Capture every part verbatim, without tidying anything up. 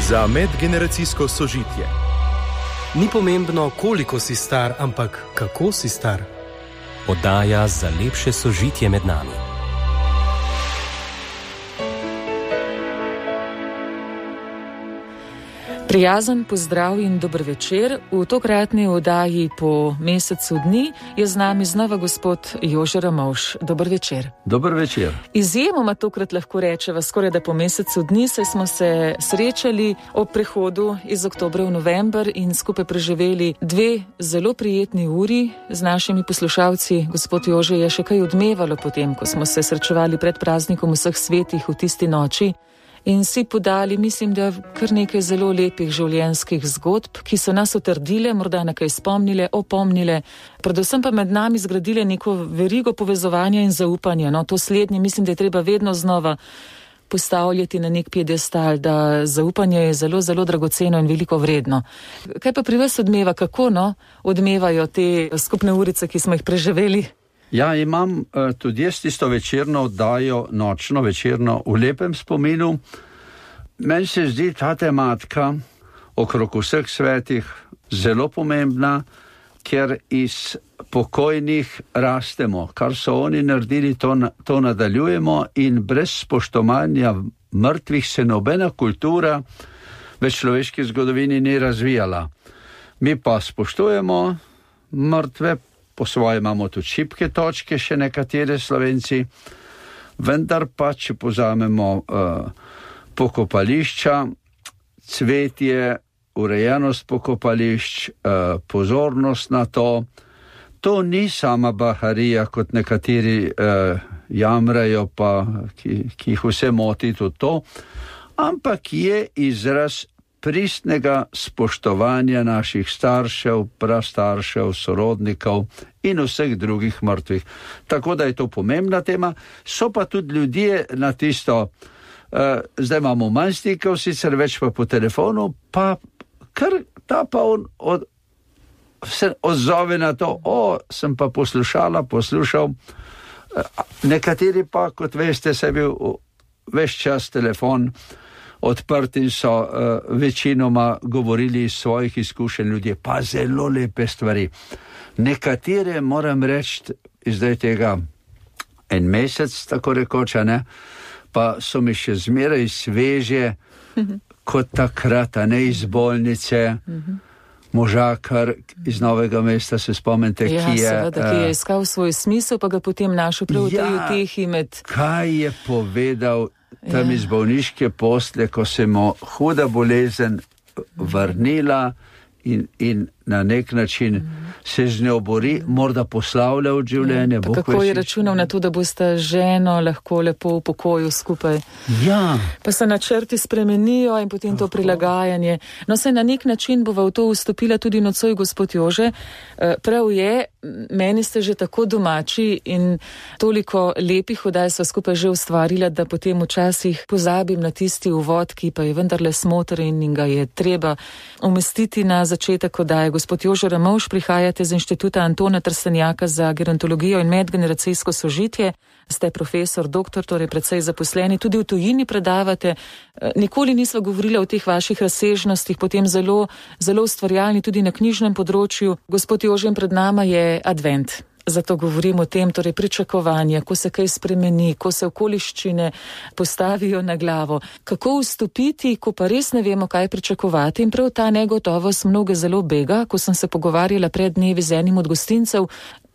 Za medgeneracijsko sožitje. Ni pomembno, koliko si star, ampak kako si star. Oddaja za lepše sožitje med nami. Prijazen pozdrav in dober večer. V tokratni oddaji po mesecu dni je z nami znova gospod Jože Ramovš. Dober večer. Dober večer. Izjemoma tokrat lahko rečeva skoraj da po mesecu dni, saj smo se srečali ob prehodu iz oktobra v november in skupaj preživeli dve zelo prijetni uri z našimi poslušalci. Gospod Jože, je še kaj odmevalo potem, ko smo se srečevali pred praznikom vseh svetih v tisti noči in si podali, mislim, da kar nekaj zelo lepih življenjskih zgodb, ki so nas utrdile, morda nekaj spomnile, opomnile, predvsem pa med nami zgradile neko verigo povezovanja in zaupanja. No, to slednje mislim, da je treba vedno znova postavljati na nek piedestal, da zaupanje je zelo, zelo dragoceno in veliko vredno. Kaj pa pri vas odmeva, kako no, odmevajo te skupne urice, ki smo jih preživeli? Ja, imam uh, tudi jaz tisto večerno oddajo, nočno večerno, v lepem spominu. Meni se zdi ta tematika okrog vseh svetih zelo pomembna, ker iz pokojnih rastemo. Kar so oni naredili, to, to nadaljujemo in brez spoštovanja mrtvih se nobena kultura v človeški zgodovini ni razvijala. Mi pa spoštujemo mrtve, po svoje imamo tudi šibke točke, še nekatere Slovenci, vendar pa, če pozamemo uh, pokopališča, cvetje, urejenost pokopališč, uh, pozornost na to, to ni sama baharija, kot nekateri uh, jamrajo, pa ki, ki jih vse moti tudi to, ampak je izraz pristnega spoštovanja naših staršev, prastaršev, sorodnikov in vseh drugih mrtvih. Tako da je to pomembna tema. So pa tudi ljudje na tisto, uh, zdaj imamo manj stikov, sicer več pa po telefonu, pa kar ta pa on od, se odzove na to, o, sem pa poslušala, poslušal. Uh, nekateri pa, kot veste, se je bil ves čas telefon odprti in so uh, večinoma govorili iz svojih izkušenj ljudje, pa zelo lepe stvari. Nekatere, moram reči, zdaj tega en mesec, tako rekoča, ne, pa so mi še zmeraj sveže, mm-hmm. kot takrat, a ne iz bolnice, mm-hmm. možakar iz Novega mesta, se spomnite, ja, ki je... Ja, seveda, ki je iskal svoj smisel, pa ga potem našel prav v tej utehi med... Kaj je povedal tam iz bolniške posle, ko se mu huda bolezen vrnila in, in na nek način mm. se z njo bori, morda poslavlja od življenja. Pa kako je računal na to, da boste ženo lahko lepo v pokoju skupaj. Ja. Pa se načrti spremenijo in potem to prilagajanje. No, se na nek način bova v to vstopila tudi nocoj gospod Jože. Prav je, meni ste že tako domači in toliko lepih oddaj sva skupaj že ustvarila, da potem včasih pozabim na tisti uvod, ki pa je vendarle smotren in ga je treba umestiti na začetek oddaje. Gospod Jože Ramovš, prihajate z Inštituta Antona Trstenjaka za gerontologijo in medgeneracijsko sožitje. Ste profesor, doktor, torej precej zaposleni, tudi v tujini predavate. Nikoli nisva govorila o teh vaših razsežnostih, potem zelo, zelo ustvarjalni tudi na knjižnem področju. Gospod Jože, pred nama je advent. Zato govorim o tem, torej pričakovanja, ko se kaj spremeni, ko se okoliščine postavijo na glavo. Kako vstopiti, ko pa res ne vemo, kaj pričakovati, in prav ta negotovost mnoge zelo bega. Ko sem se pogovarjala pred dnevi z enim od gostincev,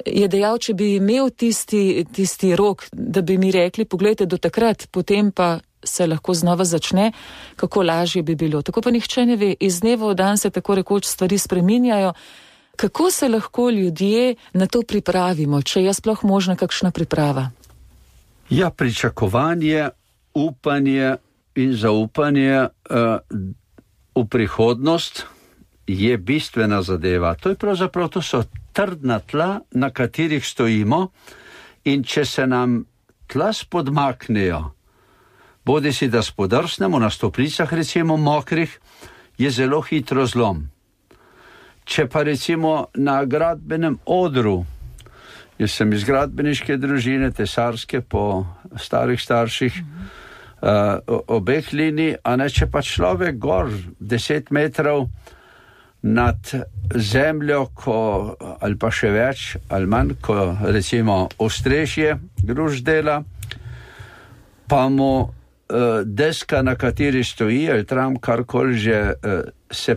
je dejal, če bi imel tisti, tisti rok, da bi mi rekli, poglejte, do takrat, potem pa se lahko znova začne, kako lažje bi bilo. Tako pa nihče ne ve, iz dneva v dan se tako rekoč stvari spreminjajo. Kako se lahko ljudje na to pripravimo, če je sploh možna kakšna priprava? Ja, pričakovanje, upanje in zaupanje uh, v prihodnost je bistvena zadeva. To je pravzaprav, to so trdna tla, na katerih stojimo, in če se nam tla spodmaknejo, bodi si da spodrsnemo na stopnicah, recimo mokrih, je zelo hitro zlom. Če pa recimo na gradbenem odru, jaz sem iz gradbeniške družine, tesarske po starih starših, uh, obeh linij, a ne, če pa človek gor deset metrov nad zemljo, ko, ali pa še več, ali manj, ko recimo ostrešje gruž dela, pa mu uh, deska, na kateri stoji, ali tram karkoli že, uh, se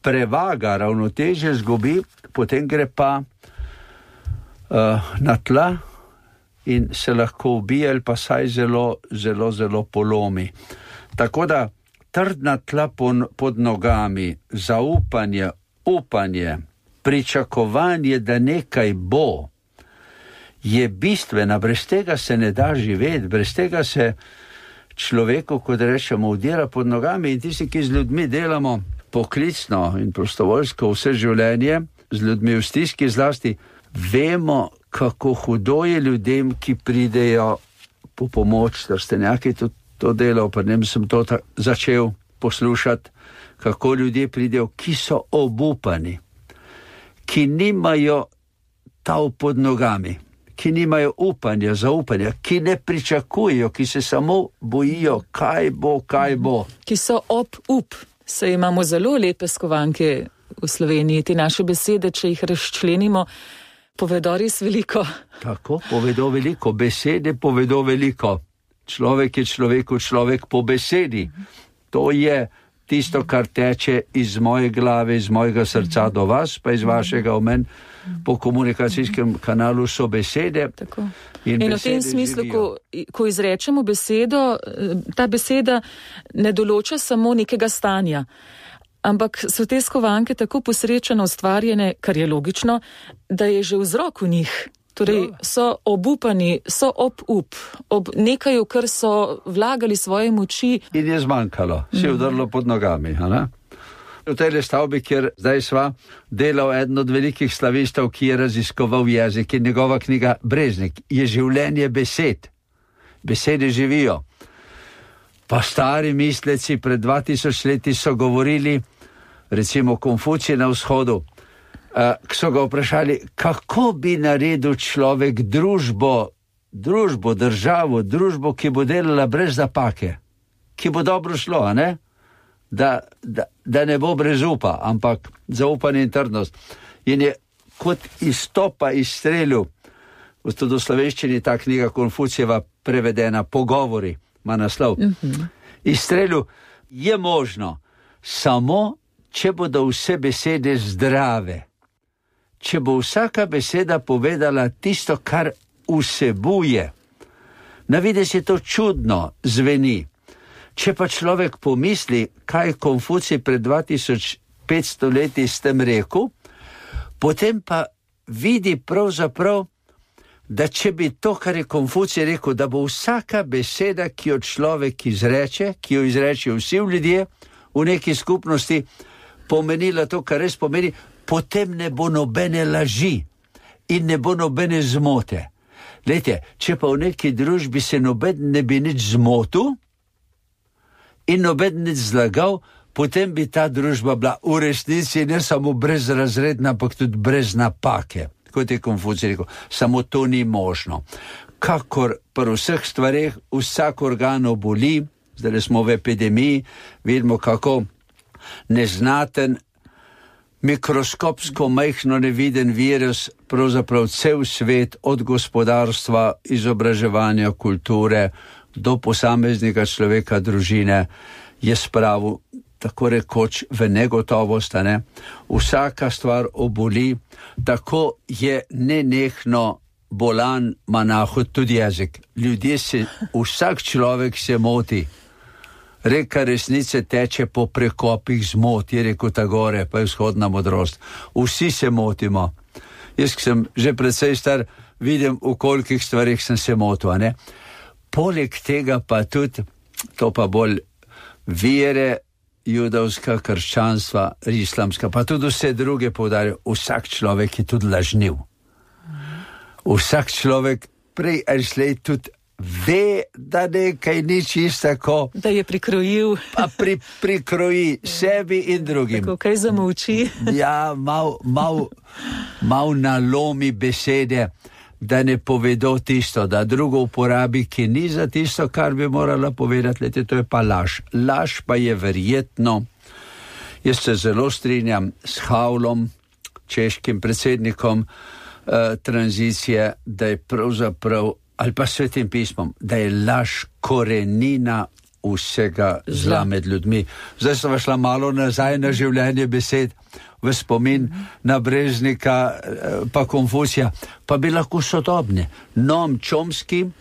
prevaga, ravnotežje zgubi, potem gre pa uh, na tla in se lahko ubije ali pa saj zelo, zelo, zelo polomi. Tako da trdna tla pod nogami, zaupanje, upanje, pričakovanje, da nekaj bo, je bistvena. Brez tega se ne da živeti, brez tega se človeku, kot rečemo, udira pod nogami. In tisti, ki z ljudmi delamo poklicno in prostovoljsko vse življenje, z ljudmi v stiski zlasti, vemo, kako hudo je ljudem, ki pridejo po pomoč, da ste nekaj tudi to delal, pa ne sem to ta, začel poslušati, kako ljudje pridejo, ki so obupani, ki nimajo tav pod nogami, ki nimajo upanja, zaupanja, ki ne pričakujejo, ki se samo bojijo, kaj bo, kaj bo. Ki so ob up. Se imamo zelo lepe skovanke v Sloveniji, te naše besede, če jih razčlenimo, povedo res veliko. Tako, povedo veliko, besede povedo veliko. Človek je človeku človek po besedi. To je tisto, kar teče iz moje glave, iz mojega srca do vas, pa iz vašega omen. Po komunikacijskem kanalu so besede. Tako. In, in v tem smislu, ko, ko izrečemo besedo, ta beseda ne določa samo nekega stanja, ampak so te skovanke tako posrečeno ustvarjene, kar je logično, da je že vzrok v njih. Torej, so obupani, so ob up, ob nekaj, v kar so vlagali svoje moči. In je zmanjkalo, si je udrlo pod nogami, a ne? V tej stavbi, kjer zdaj sva, delal eden od velikih slavistov, ki je raziskoval jezik, in njegova knjiga Breznik je življenje besed. Besede živijo. Pa stari misleci pred dva tisoč leti so govorili, recimo Konfucij na vzhodu, uh, so ga vprašali, kako bi naredil človek družbo, družbo, državo, družbo, ki bo delala brez napake, ki bo dobro šlo, a ne? Da, da, da ne bo brez upa, ampak zaupanje in trdnost. In je kot izstopa iz strelju, tudi v slovenščini ta knjiga Konfucijeva prevedena, Pogovori, ima naslov. Mm-hmm. Iz strelju je možno samo, če bodo vse besede zdrave. Če bo vsaka beseda povedala tisto, kar vsebuje. Na videz je to čudno, zveni. Če pa človek pomisli, kaj Konfucij pred dva tisoč petsto leti s tem rekel, potem pa vidi pravzaprav, da če bi to, kar je Konfucij rekel, da bo vsaka beseda, ki jo človek izreče, ki jo izreče vsi ljudje v neki skupnosti, pomenila to, kar res pomeni, potem ne bo nobene laži in ne bo nobene zmote. Glejte, če pa v neki družbi se noben ne bi nič zmotil, in noben nič zlagal, potem bi ta družba bila v resnici ne samo brezrazredna, ampak tudi brez napake. Kot je Konfucij rekel, samo to ni možno. Kakor pri vseh stvareh vsak organ oboli, zdaj smo v epidemiji, vidimo kako neznaten, mikroskopsko majhno neviden virus, pravzaprav cel svet, od gospodarstva, izobraževanja, kulture, do posameznika človeka, družine, je spravil tako rekoč v negotovost, ne? Vsaka stvar oboli, tako je nenehno bolan monahov tudi jezik. Ljudje se, vsak človek se moti. Reka resnice teče po prekopih zmot, je rekel Tagore, pa je vzhodna modrost. Vsi se motimo. Jaz sem že precej star, vidim, v kolikih stvarih sem se motil, ne? Poleg tega pa tudi, to pa bolj vere, judovska, krščanstva, islamska, pa tudi vse druge poudarjajo, vsak človek je tudi lažniv. Vsak človek prej ali slej tudi ve, da nekaj ni čisto tako. Da je prikrojil. Pa pri, prikroji sebi in drugim. Tako kaj zamolči. Ja, mal, mal, mal nalomi besede. da ne povedo tisto, da drugo uporabi, ki ni za tisto, kar bi morala povedati. Lete, to je pa laž. Laž pa je verjetno, jaz se zelo strinjam s Havlom, češkim predsednikom eh, tranzicije, da je pravzaprav, ali pa Svetim pismom, da je laž korenina vsega zla med ljudmi. Zdaj sem šla malo nazaj na življenje besed, v spomin na Breznika pa Konfucija, pa bi lahko sodobne. Noam Chomsky, uh,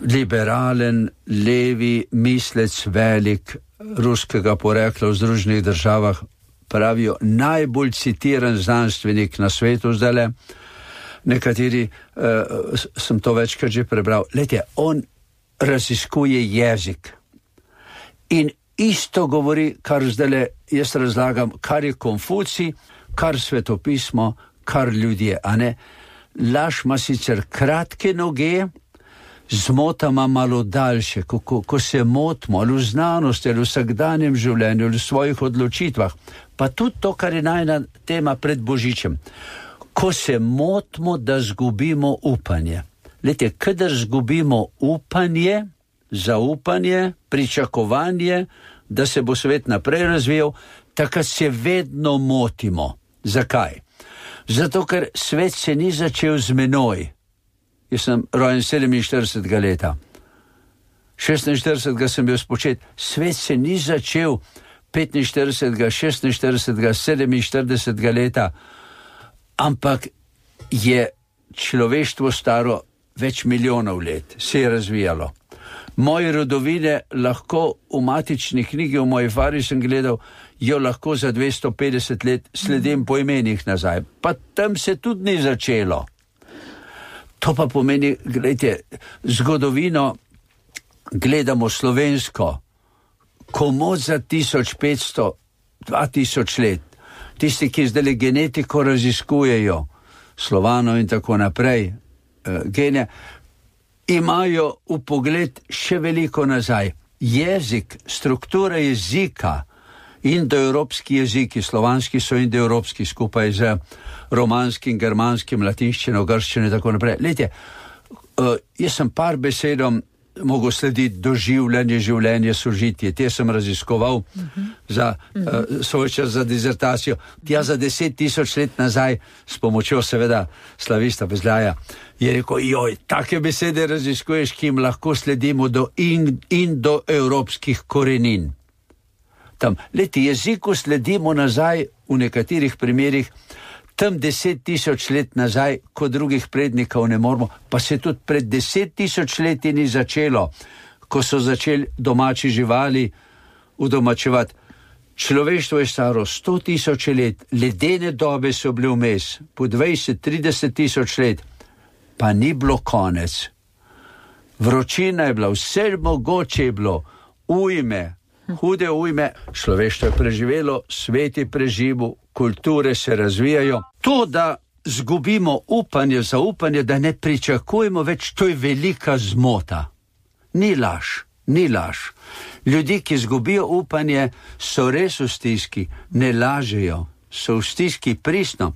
liberalen, levi, mislec, velik, ruskega porekla v Združenih državah, pravijo najbolj citiran znanstvenik na svetu zdajle. Nekateri, uh, sem to večkrat že prebral, lejte, on raziskuje jezik in isto govori, kar zdajle jaz razlagam, kar je Konfucij, kar svetopismo, kar ljudje, a ne? Laž ima sicer kratke noge, zmota ima malo daljše, ko, ko, ko se motimo ali v znanosti, ali v vsakdanjem življenju, ali v svojih odločitvah, pa tudi to, kar je najna tema pred Božičem. Ko se motimo, da zgubimo upanje. Lejte, kadar zgubimo upanje, zaupanje, pričakovanje, da se bo svet naprej razvijal, takrat se vedno motimo. Zakaj? Zato, ker svet se ni začel z menoj. Jaz sem rojen sedeminštiridesetega leta. šestinštiridesetega sem bil spočet. Svet se ni začel petinštiridesetega, šestinštiridesetega, sedeminštiridesetega leta, ampak je človeštvo staro več milijonov let, se je razvijalo. Moje rodovine lahko v matični knjigi, v moji fari sem gledal, jo lahko za dvesto petdeset let sledim po imenih nazaj. Pa tam se tudi ni začelo. To pa pomeni, gledajte, zgodovino gledamo slovensko, komot za tisoč petsto, dva tisoč let. Tisti, ki zdaj genetiko raziskujejo, Slovanov in tako naprej, uh, gene, imajo v pogled še veliko nazaj. Jezik, struktura jezika, indoevropski jeziki, slovanski so indoevropski, skupaj z romanskim, germanskim, latinščino, grščino in tako naprej. Lejte, uh, jaz sem par besedom mogel slediti doživljanje, življenje, sožitje. Te sem raziskoval uh-huh. za uh, svoj čas za dizertacijo. Tja za deset tisoč let nazaj, s pomočjo seveda slavista Bezljaja, je rekel, joj, take besede raziskuješ, ki jim lahko sledimo do in, indoevropskih korenin. Tam, leti, jeziku sledimo nazaj v nekaterih primerih, tam deset tisoč let nazaj, ko drugih prednikov ne moramo, pa se tudi pred deset tisoč leti ni začelo, ko so začeli domači živali udomačevati. Človeštvo je staro sto tisoč let, ledene dobe so bile vmes, po dvajset trideset tisoč let, pa ni bilo konec. Vročina je bila, vse mogoče je bilo, ujme, hude ujme, človeštvo je preživelo, svet je preživel, kulture se razvijajo. To, da zgubimo upanje, zaupanje, da ne pričakujemo več, to je velika zmota. Ni laž, ni laž. Ljudi, ki zgubijo upanje, so res v stiski, ne lažejo, so v stiski pristno,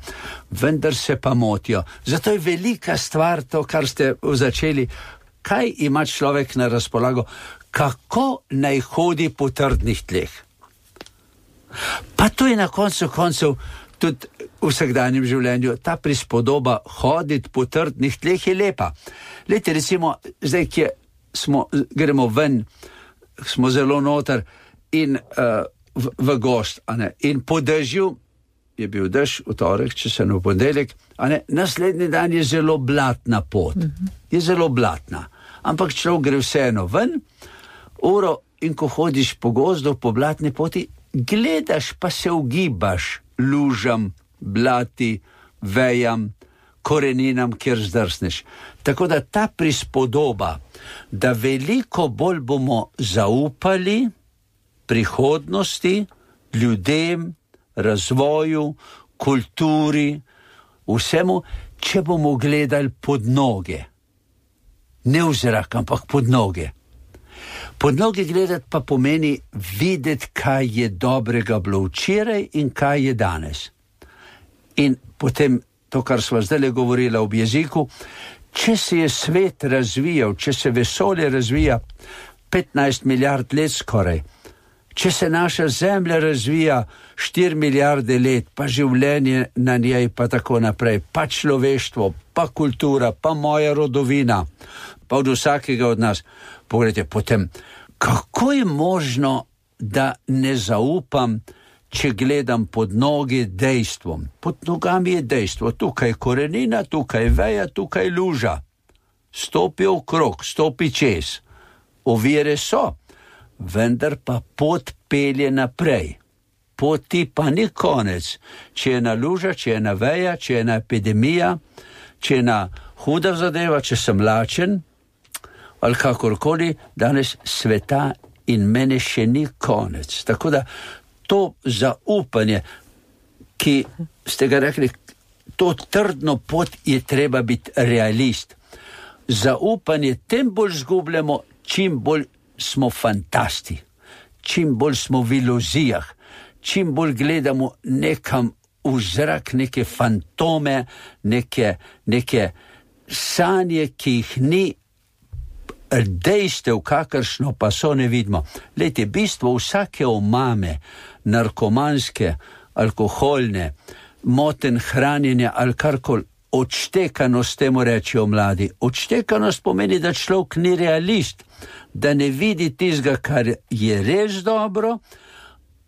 vendar se pa motijo. Zato je velika stvar to, kar ste začeli. Kaj ima človek na razpolago? Kako naj hodi po trdnih tleh? Pa to je na koncu koncev tudi v vsakdanjem življenju. Ta prispodoba hoditi po trdnih tleh je lepa. Lejte, recimo, zdaj, ki smo, gremo ven, smo zelo noter in uh, v, v gost, a ne, in po dežju, je bil dež v torek, če se ne v ponedeljek, a ne, naslednji dan je zelo blatna pot. Mm-hmm. Je zelo blatna. Ampak človek gre vseeno ven, uro, in ko hodiš po gozdu, po blatni poti, gledaš pa se ugibaš lužam, blati, vejam, koreninam, kjer zdrsneš. Tako da ta prispodoba, da veliko bolj bomo zaupali prihodnosti, ljudem, razvoju, kulturi, vsemu, če bomo gledali pod noge. Ne v zrak, ampak pod noge. Pod noge gledati pa pomeni videti, kaj je dobrega bilo včeraj in kaj je danes. In potem to, kar sva zdaj govorila ob jeziku, če se je svet razvijal, če se vesolje razvija petnajst milijard let skoraj, če se naša zemlja razvija štiri milijarde let, pa življenje na njej, pa tako naprej, pa človeštvo, pa kultura, pa moja rodovina, pa od vsakega od nas. Pogledajte, potem, kako je možno, da ne zaupam, če gledam pod noge dejstvom? Pod nogami je dejstvo, tukaj korenina, tukaj veja, tukaj luža. Stopi okrog, stopi čez. Ovire so, vendar pa pot pelje naprej. Poti pa ni konec. Če je ena luža, če je ena veja, če je ena epidemija, če je ena huda zadeva, če sem lačen, ali kakorkoli, danes sveta in mene še ni konec. Tako da to zaupanje, ki ste ga rekli, to trdno pot je treba biti realist. Zaupanje tem bolj zgubljamo, čim bolj smo fantasti, čim bolj smo v iluzijah, čim bolj gledamo nekam v zrak, neke fantome, neke, neke sanje, ki jih ni, dejstev, kakršno pa so, ne vidimo. Lejte, bistvo vsake omame, narkomanske, alkoholne, moten hranjenja ali karkoli, odštekanost temu rečijo mladi. Odštekanost pomeni, da človek ni realist, da ne vidi tistega, kar je res dobro,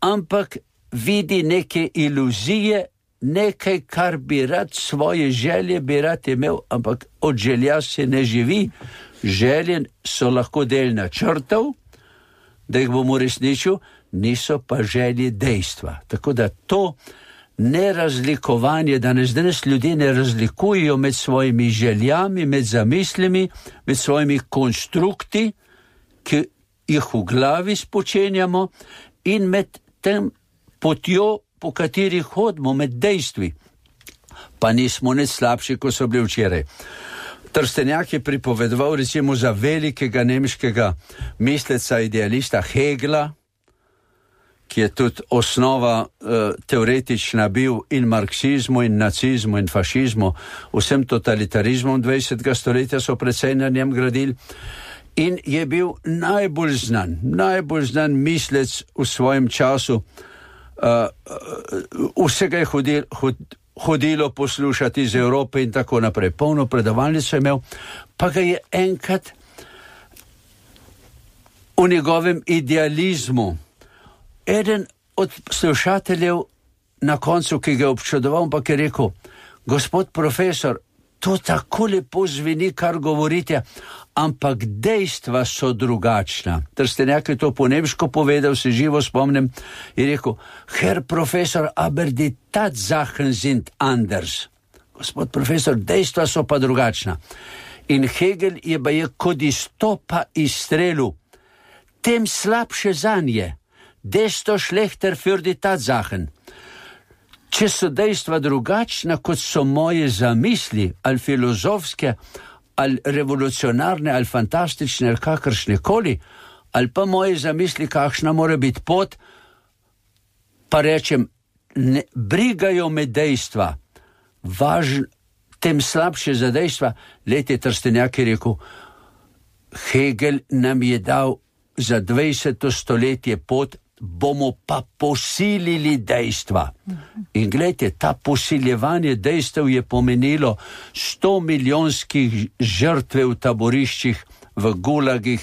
ampak vidi neke iluzije, nekaj, kar bi rad, svoje želje bi rad imel, ampak od želja se ne živi. Želje so lahko del načrtov, da jih bom uresničil, niso pa želje dejstva. Tako da to nerazlikovanje, danes danes ljudje ne razlikujejo med svojimi željami, med zamislimi, med svojimi konstrukti, ki jih v glavi spočenjamo, in med tem potjo, po kateri hodimo, med dejstvi. Pa nismo nič slabši, ko so bili včeraj. Trstenjak je pripovedoval recimo za velikega nemškega misleca, idealista Hegla, ki je tudi osnova uh, teoretična bil in marksizmu, in nacizmu, in fašizmu, vsem totalitarizmom dvajsetega stoletja so precej na njem gradili, in je bil najbolj znan, najbolj znan mislec v svojem času. Uh, uh, vsega je hodil, hod, hodilo poslušati iz Evrope in tako naprej. Polno predavalnico je imel, pa ga je enkrat v njegovem idealizmu eden od slušateljev na koncu, ki ga je občudoval, pa je rekel: gospod profesor, to tako lepo zveni, kar govorite, ampak dejstva so drugačna. Trstenjak je to po nemško povedal, se živo spomnim, in rekel: Herr profesor, aber die Tatsachen sind anders. Gospod profesor, dejstva so pa drugačna. In Hegel je pa je kot izstopa iz strelu: tem slabše zanje, desto schlechter für die Tatsachen. Če so dejstva drugačna, kot so moje zamisli, ali filozofske, ali revolucionarne, ali fantastične, ali kakršne koli, ali pa moje zamisli, kakšna mora biti pot, pa rečem, ne, brigajo me dejstva, važn, tem slabše za dejstva. Lejte, Trstenjak je rekel, Hegel nam je dal za dvajseto stoletje pot, bomo pa posilili dejstva. In gledajte, ta posiljevanje dejstev je pomenilo sto milijonskih žrtve v taboriščih, v gulagih,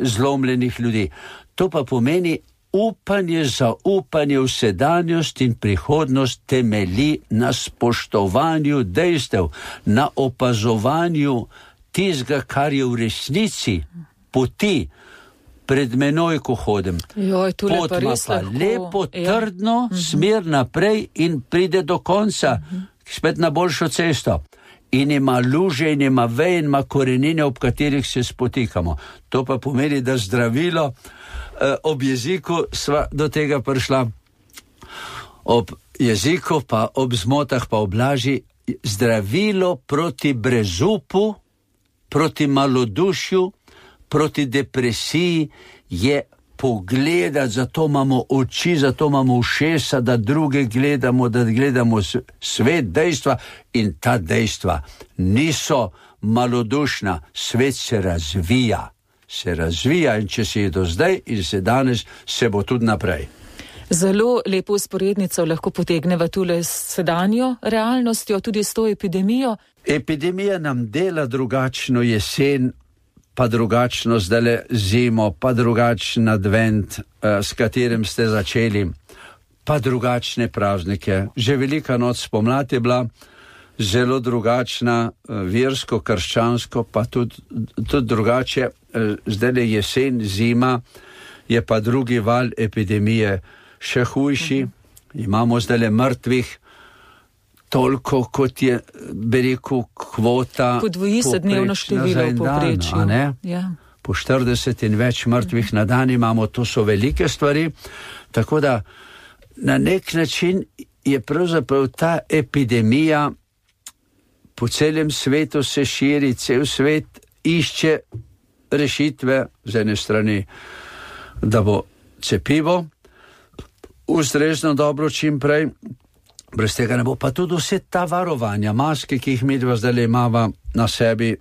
zlomljenih ljudi. To pa pomeni upanje, zaupanje v sedanjost in prihodnost temelji na spoštovanju dejstev, na opazovanju tistega, kar je v resnici, poti. Pred menoj, ko hodim. Joj, pot ima pa lepo, trdno, ja. Smer naprej in pride do konca, uh-huh. Spet na boljšo cesto. In ima luže, in ima veje, in ima korenine, ob katerih se spotikamo. To pa pomeni, da zdravilo eh, ob jeziku sva do tega prišla. Ob jeziku pa ob zmotah pa ob laži, zdravilo proti brezupu, proti malodušju, proti depresiji je pogledati, zato imamo oči, zato imamo ušesa, da druge gledamo, da gledamo svet, dejstva, in ta dejstva niso malodušna, svet se razvija, se razvija in če se je do zdaj in se danes, se bo tudi naprej. Zelo lepo usporednico lahko potegneva tule s sedanjo realnostjo, tudi s to epidemijo. Epidemija nam dela drugačno jesen, pa drugačno zdajle zimo, pa drugačen advent, s katerim ste začeli, pa drugačne praznike. Že Velika noč spomladi je bila zelo drugačna, versko, krščansko, pa tudi, tudi drugače. Zdajle jesen, zima, je pa drugi val epidemije še hujši. Imamo zdajle mrtvih toliko, kot je, bi rekel, kvota. Podvoji se dnevno število v povprečju. Ja. Po štirideset in več mrtvih na dan imamo, to so velike stvari. Tako da na nek način je pravzaprav ta epidemija po celem svetu se širi, cel svet išče rešitve z ene strani, da bo cepivo ustrezno dobro čim prej. Brez tega ne bo, pa tudi vse ta varovanja, maske, ki jih midva zdaj imava na sebi,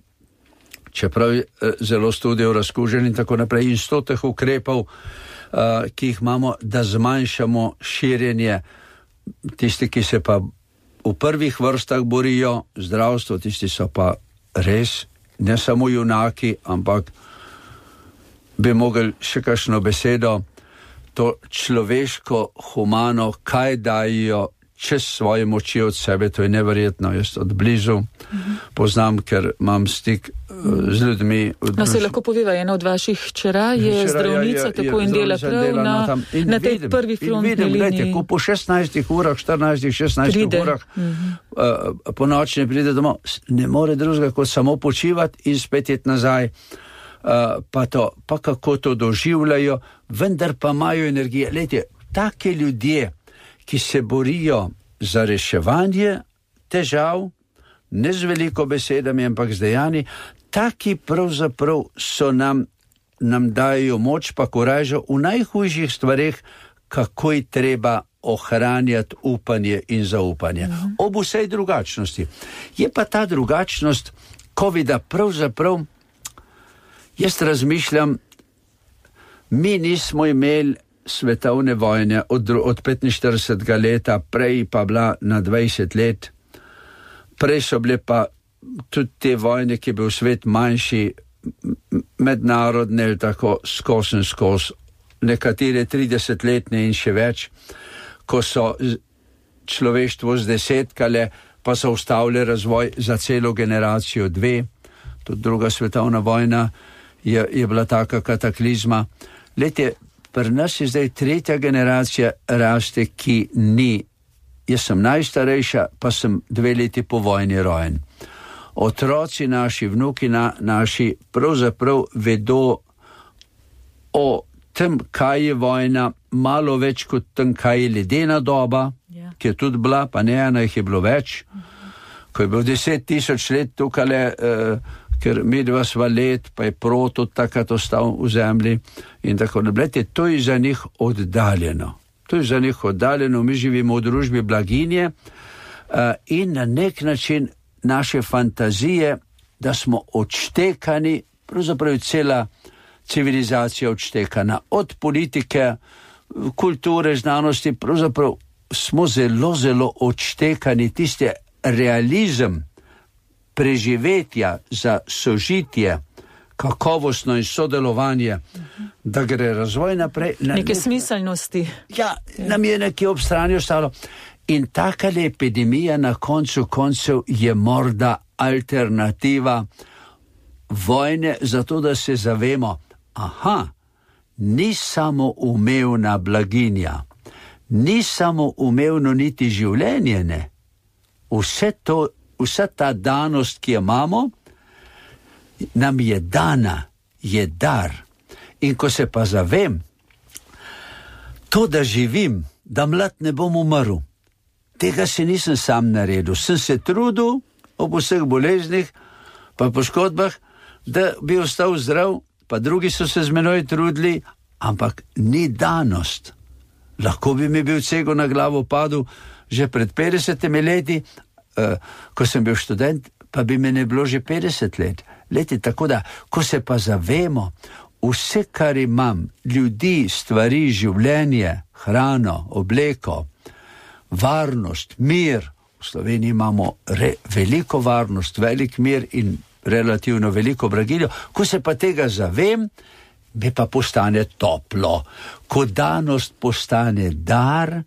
čeprav je zelo studijev razkužen in tako naprej, in sto teh ukrepov, uh, ki jih imamo, da zmanjšamo širjenje. Tisti, ki se pa v prvih vrstah borijo, zdravstvo, tisti so pa res ne samo junaki, ampak bi mogli še kakšno besedo, to človeško, humano, kaj dajo čez svoje moči od sebe, to je neverjetno. Jaz od blizu mm-hmm. poznam, ker imam stik uh, z ljudmi. No, se lahko poveva, ena od vaših hčera je hčera, zdravnica, je, je, tako in dela prav dela na, na, in na tej vidim, prvi frontni liniji. Gledajte, ko po šestnajstih urah, štirinajstih, šestnajstih pride. urah mm-hmm. uh, po noči ne pride domov, ne more drugega kot samo počivati in spet iti nazaj. Uh, pa, to, pa kako to doživljajo, vendar pa imajo energije. Glejte, take ljudje, ki se borijo za reševanje težav, ne z veliko besedami, ampak z dejanji, taki pravzaprav so nam, nam dajo moč pa koražo v najhujših stvareh, kako je treba ohranjati upanje in zaupanje. Mhm. Ob vsej drugačnosti. Je pa ta drugačnost covida pravzaprav, jaz razmišljam, mi nismo imeli svetovne vojne od, od petinštiridesetega leta, prej pa bila na dvajset let. Prej so bile pa tudi te vojne, ki je bil svet manjši, mednarodne, tako skozi in skozi, nekatere tridesetletne in še več, ko so človeštvo zdesetkale, pa so ustavili razvoj za celo generacijo dve. Tudi druga svetovna vojna je, je bila taka kataklizma. Lete, pri nas je zdaj tretja generacija raste, ki ni. Jaz sem najstarejša, pa sem dve leti po vojni rojen. Otroci naši, vnuki na, naši pravzaprav vedo o tem, kaj je vojna, malo več kot tem, kaj je ledena doba, yeah. ki je tudi bila, pa ne ena jih je bilo več. Mm-hmm. Ko je bil deset tisoč let tukale, uh, ker mi dva sva let, pa je proto takrat ostal v zemlji in tako naprej. To je za njih oddaljeno. To je za njih oddaljeno, mi živimo v družbi blaginje uh, in na nek način naše fantazije, da smo odštekani, pravzaprav cela civilizacija odštekana, od politike, kulture, znanosti, pravzaprav smo zelo, zelo odštekani, tiste realizem, preživetja za sožitje, kakovostno in sodelovanje, uh-huh. da gre razvoj naprej. Na neke nek... smiselnosti. Ja, ja, nam je nekje ob strani ostalo. In taka epidemija na koncu koncev je morda alternativa vojne, zato da se zavemo, aha, ni samo umevna blaginja, ni samo umevno niti življenje, ne. Vse to, vsa ta danost, ki jo imamo, nam je dana, je dar. In ko se pa zavem, to, da živim, da mlad ne bom umrl, tega se nisem sam naredil. Sem se trudil ob vseh boleznih, pa poškodbah, da bi ostal zdrav, pa drugi so se z menoj trudili, ampak ni danost. Lahko bi mi bil cego na glavo padel že pred petdesetimi leti, uh, ko sem bil študent, pa bi me ne bilo že petdeset let. Leti, tako da, ko se pa zavemo, vse, kar imam, ljudi, stvari, življenje, hrano, obleko, varnost, mir, v Sloveniji imamo re, veliko varnost, velik mir in relativno veliko blaginjo, ko se pa tega zavem, mi pa postane toplo. Ko danost postane dar,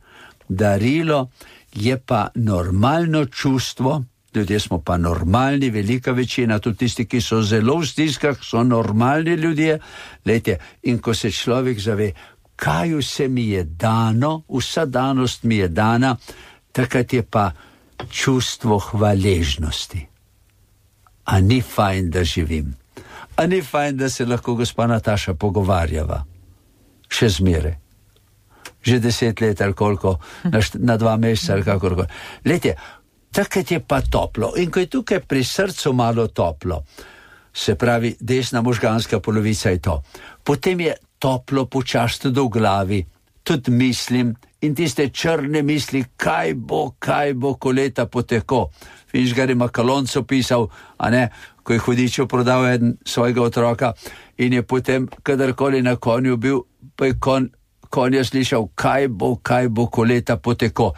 darilo, je pa normalno čustvo, ljudje smo pa normalni, velika večina, tudi tisti, ki so zelo v stiskah, so normalni ljudje. Lejte, in ko se človek zave, kaj vse mi je dano, vsa danost mi je dana, takrat je pa čustvo hvaležnosti. A ni fajn, da živim? A ni fajn, da se lahko gospa Nataša pogovarjava? Še zmeraj. Že deset let ali koliko, na, št- na dva meseca ali kakorkoli. Lejte, takrat je pa toplo. In ko je tukaj pri srcu malo toplo, se pravi desna možganska polovica je to, potem je toplo počasti do glavi, tudi mislim, in tiste črne misli, kaj bo, kaj bo, ko leta poteko. Finžgar je Makalonco pisal, a ne, ko je hudičev prodal eden svojega otroka in je potem, kadarkoli na konju bil, pa je kon, konja slišal, kaj bo, kaj bo, ko leta poteko.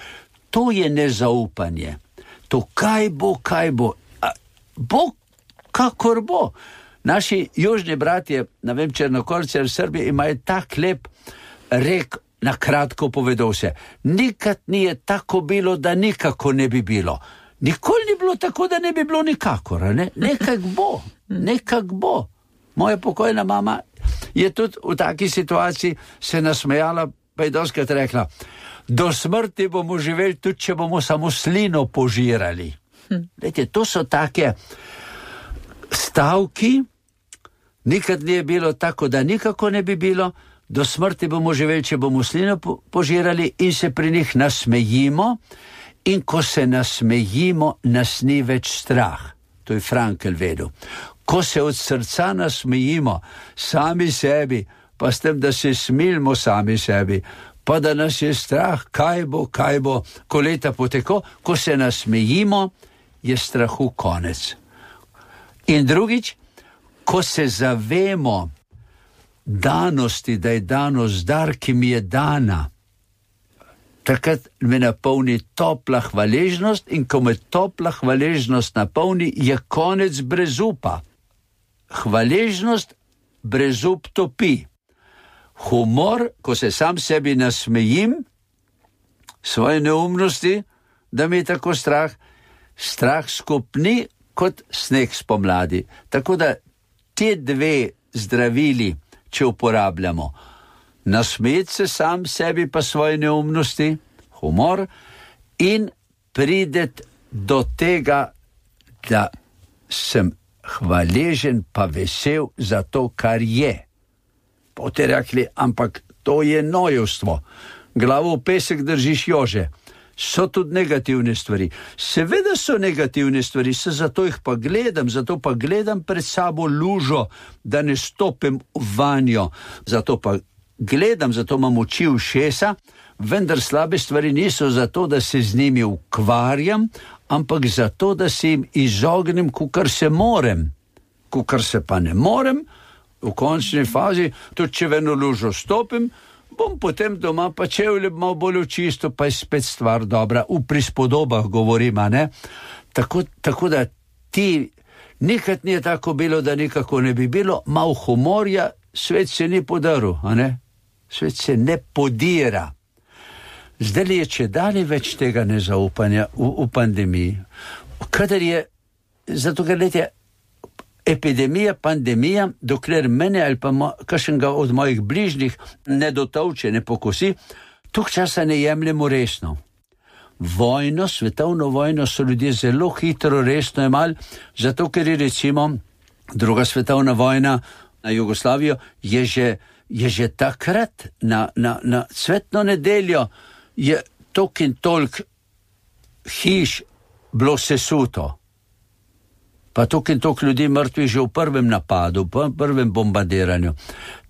To je nezaupanje. To kaj bo, kaj bo. A, bo, kakor bo. Naši južni bratje, ne vem, Črnokorci ali Srbi, imajo tak lep rek, na kratko povedal se. Nikad ni je tako bilo, da nikako ne bi bilo. Nikoli ni bilo tako, da ne bi bilo nikakor. Ne? Nekak bo, nekak bo. Moja pokojna mama je tudi v taki situaciji se nasmejala, pa je doskrat rekla, do smrti bomo živeli tudi, če bomo samo slino požirali. Lejte, to so take stavki, nikad ni bilo tako, da nikako ne bi bilo, do smrti bomo živeli, če bomo slino požirali in se pri njih nasmejimo, in ko se nasmejimo, nas ni več strah. To je Frankl vedel. Ko se od srca nasmejimo sami sebi, pa s tem, da se smilimo sami sebi, pa da nas je strah, kaj bo, kaj bo, ko leta poteko, ko se nasmejimo, je strahu konec. In drugič, ko se zavemo danosti, da je danost dar, ki mi je dana, takrat me napolni topla hvaležnost in ko me topla hvaležnost napolni, je konec brezupa. Hvaležnost brezup topi. Humor, ko se sam sebi nasmejim, svoje neumnosti, da mi je tako strah, strah skupni kot sneg spomladi. Tako da te dve zdravili, če uporabljamo, nasmejati se sam sebi pa svoje neumnosti, humor, in prideti do tega, da sem hvaležen pa vesel za to, kar je. Potem rekli, ampak to je nojevstvo. Glavo v pesek držiš jože. So tudi negativne stvari. Seveda so negativne stvari, se zato jih pa gledam, zato pa gledam pred sabo lužo, da ne stopim vanjo. Zato pa gledam, zato imam oči ušesa, vendar slabe stvari niso zato, da se z njimi ukvarjam, ampak zato, da se jim izognem, kukar se morem. Kukar se pa ne morem, v končni fazi, tudi če v eno lužo stopim, bom potem doma pa čevlje malo bolj čisto, pa je spet stvar dobra. V prispodobah govorim, a ne? Tako, tako da ti, nikad ni tako bilo, da nikako ne bi bilo, malo humorja, svet se ni podaril, a ne? Svet se ne podira. Zdaj je če dalje več tega nezaupanja v, v pandemiji. Kadar je, zato ker letje, epidemija, pandemija, dokler mene ali pa mo, kakšnega od mojih bližnjih ne dotovče, ne pokosi, tok časa ne jemljemo resno. Vojno, svetovno vojno so ljudje zelo hitro resno jemali, zato ker je recimo druga svetovna vojna na Jugoslavijo je že, je že takrat na, na, na cvetno nedeljo je tok in tolk hiš bilo sesuto. Pa tok in tok ljudi mrtvi že v prvem napadu, v prvem bombardiranju.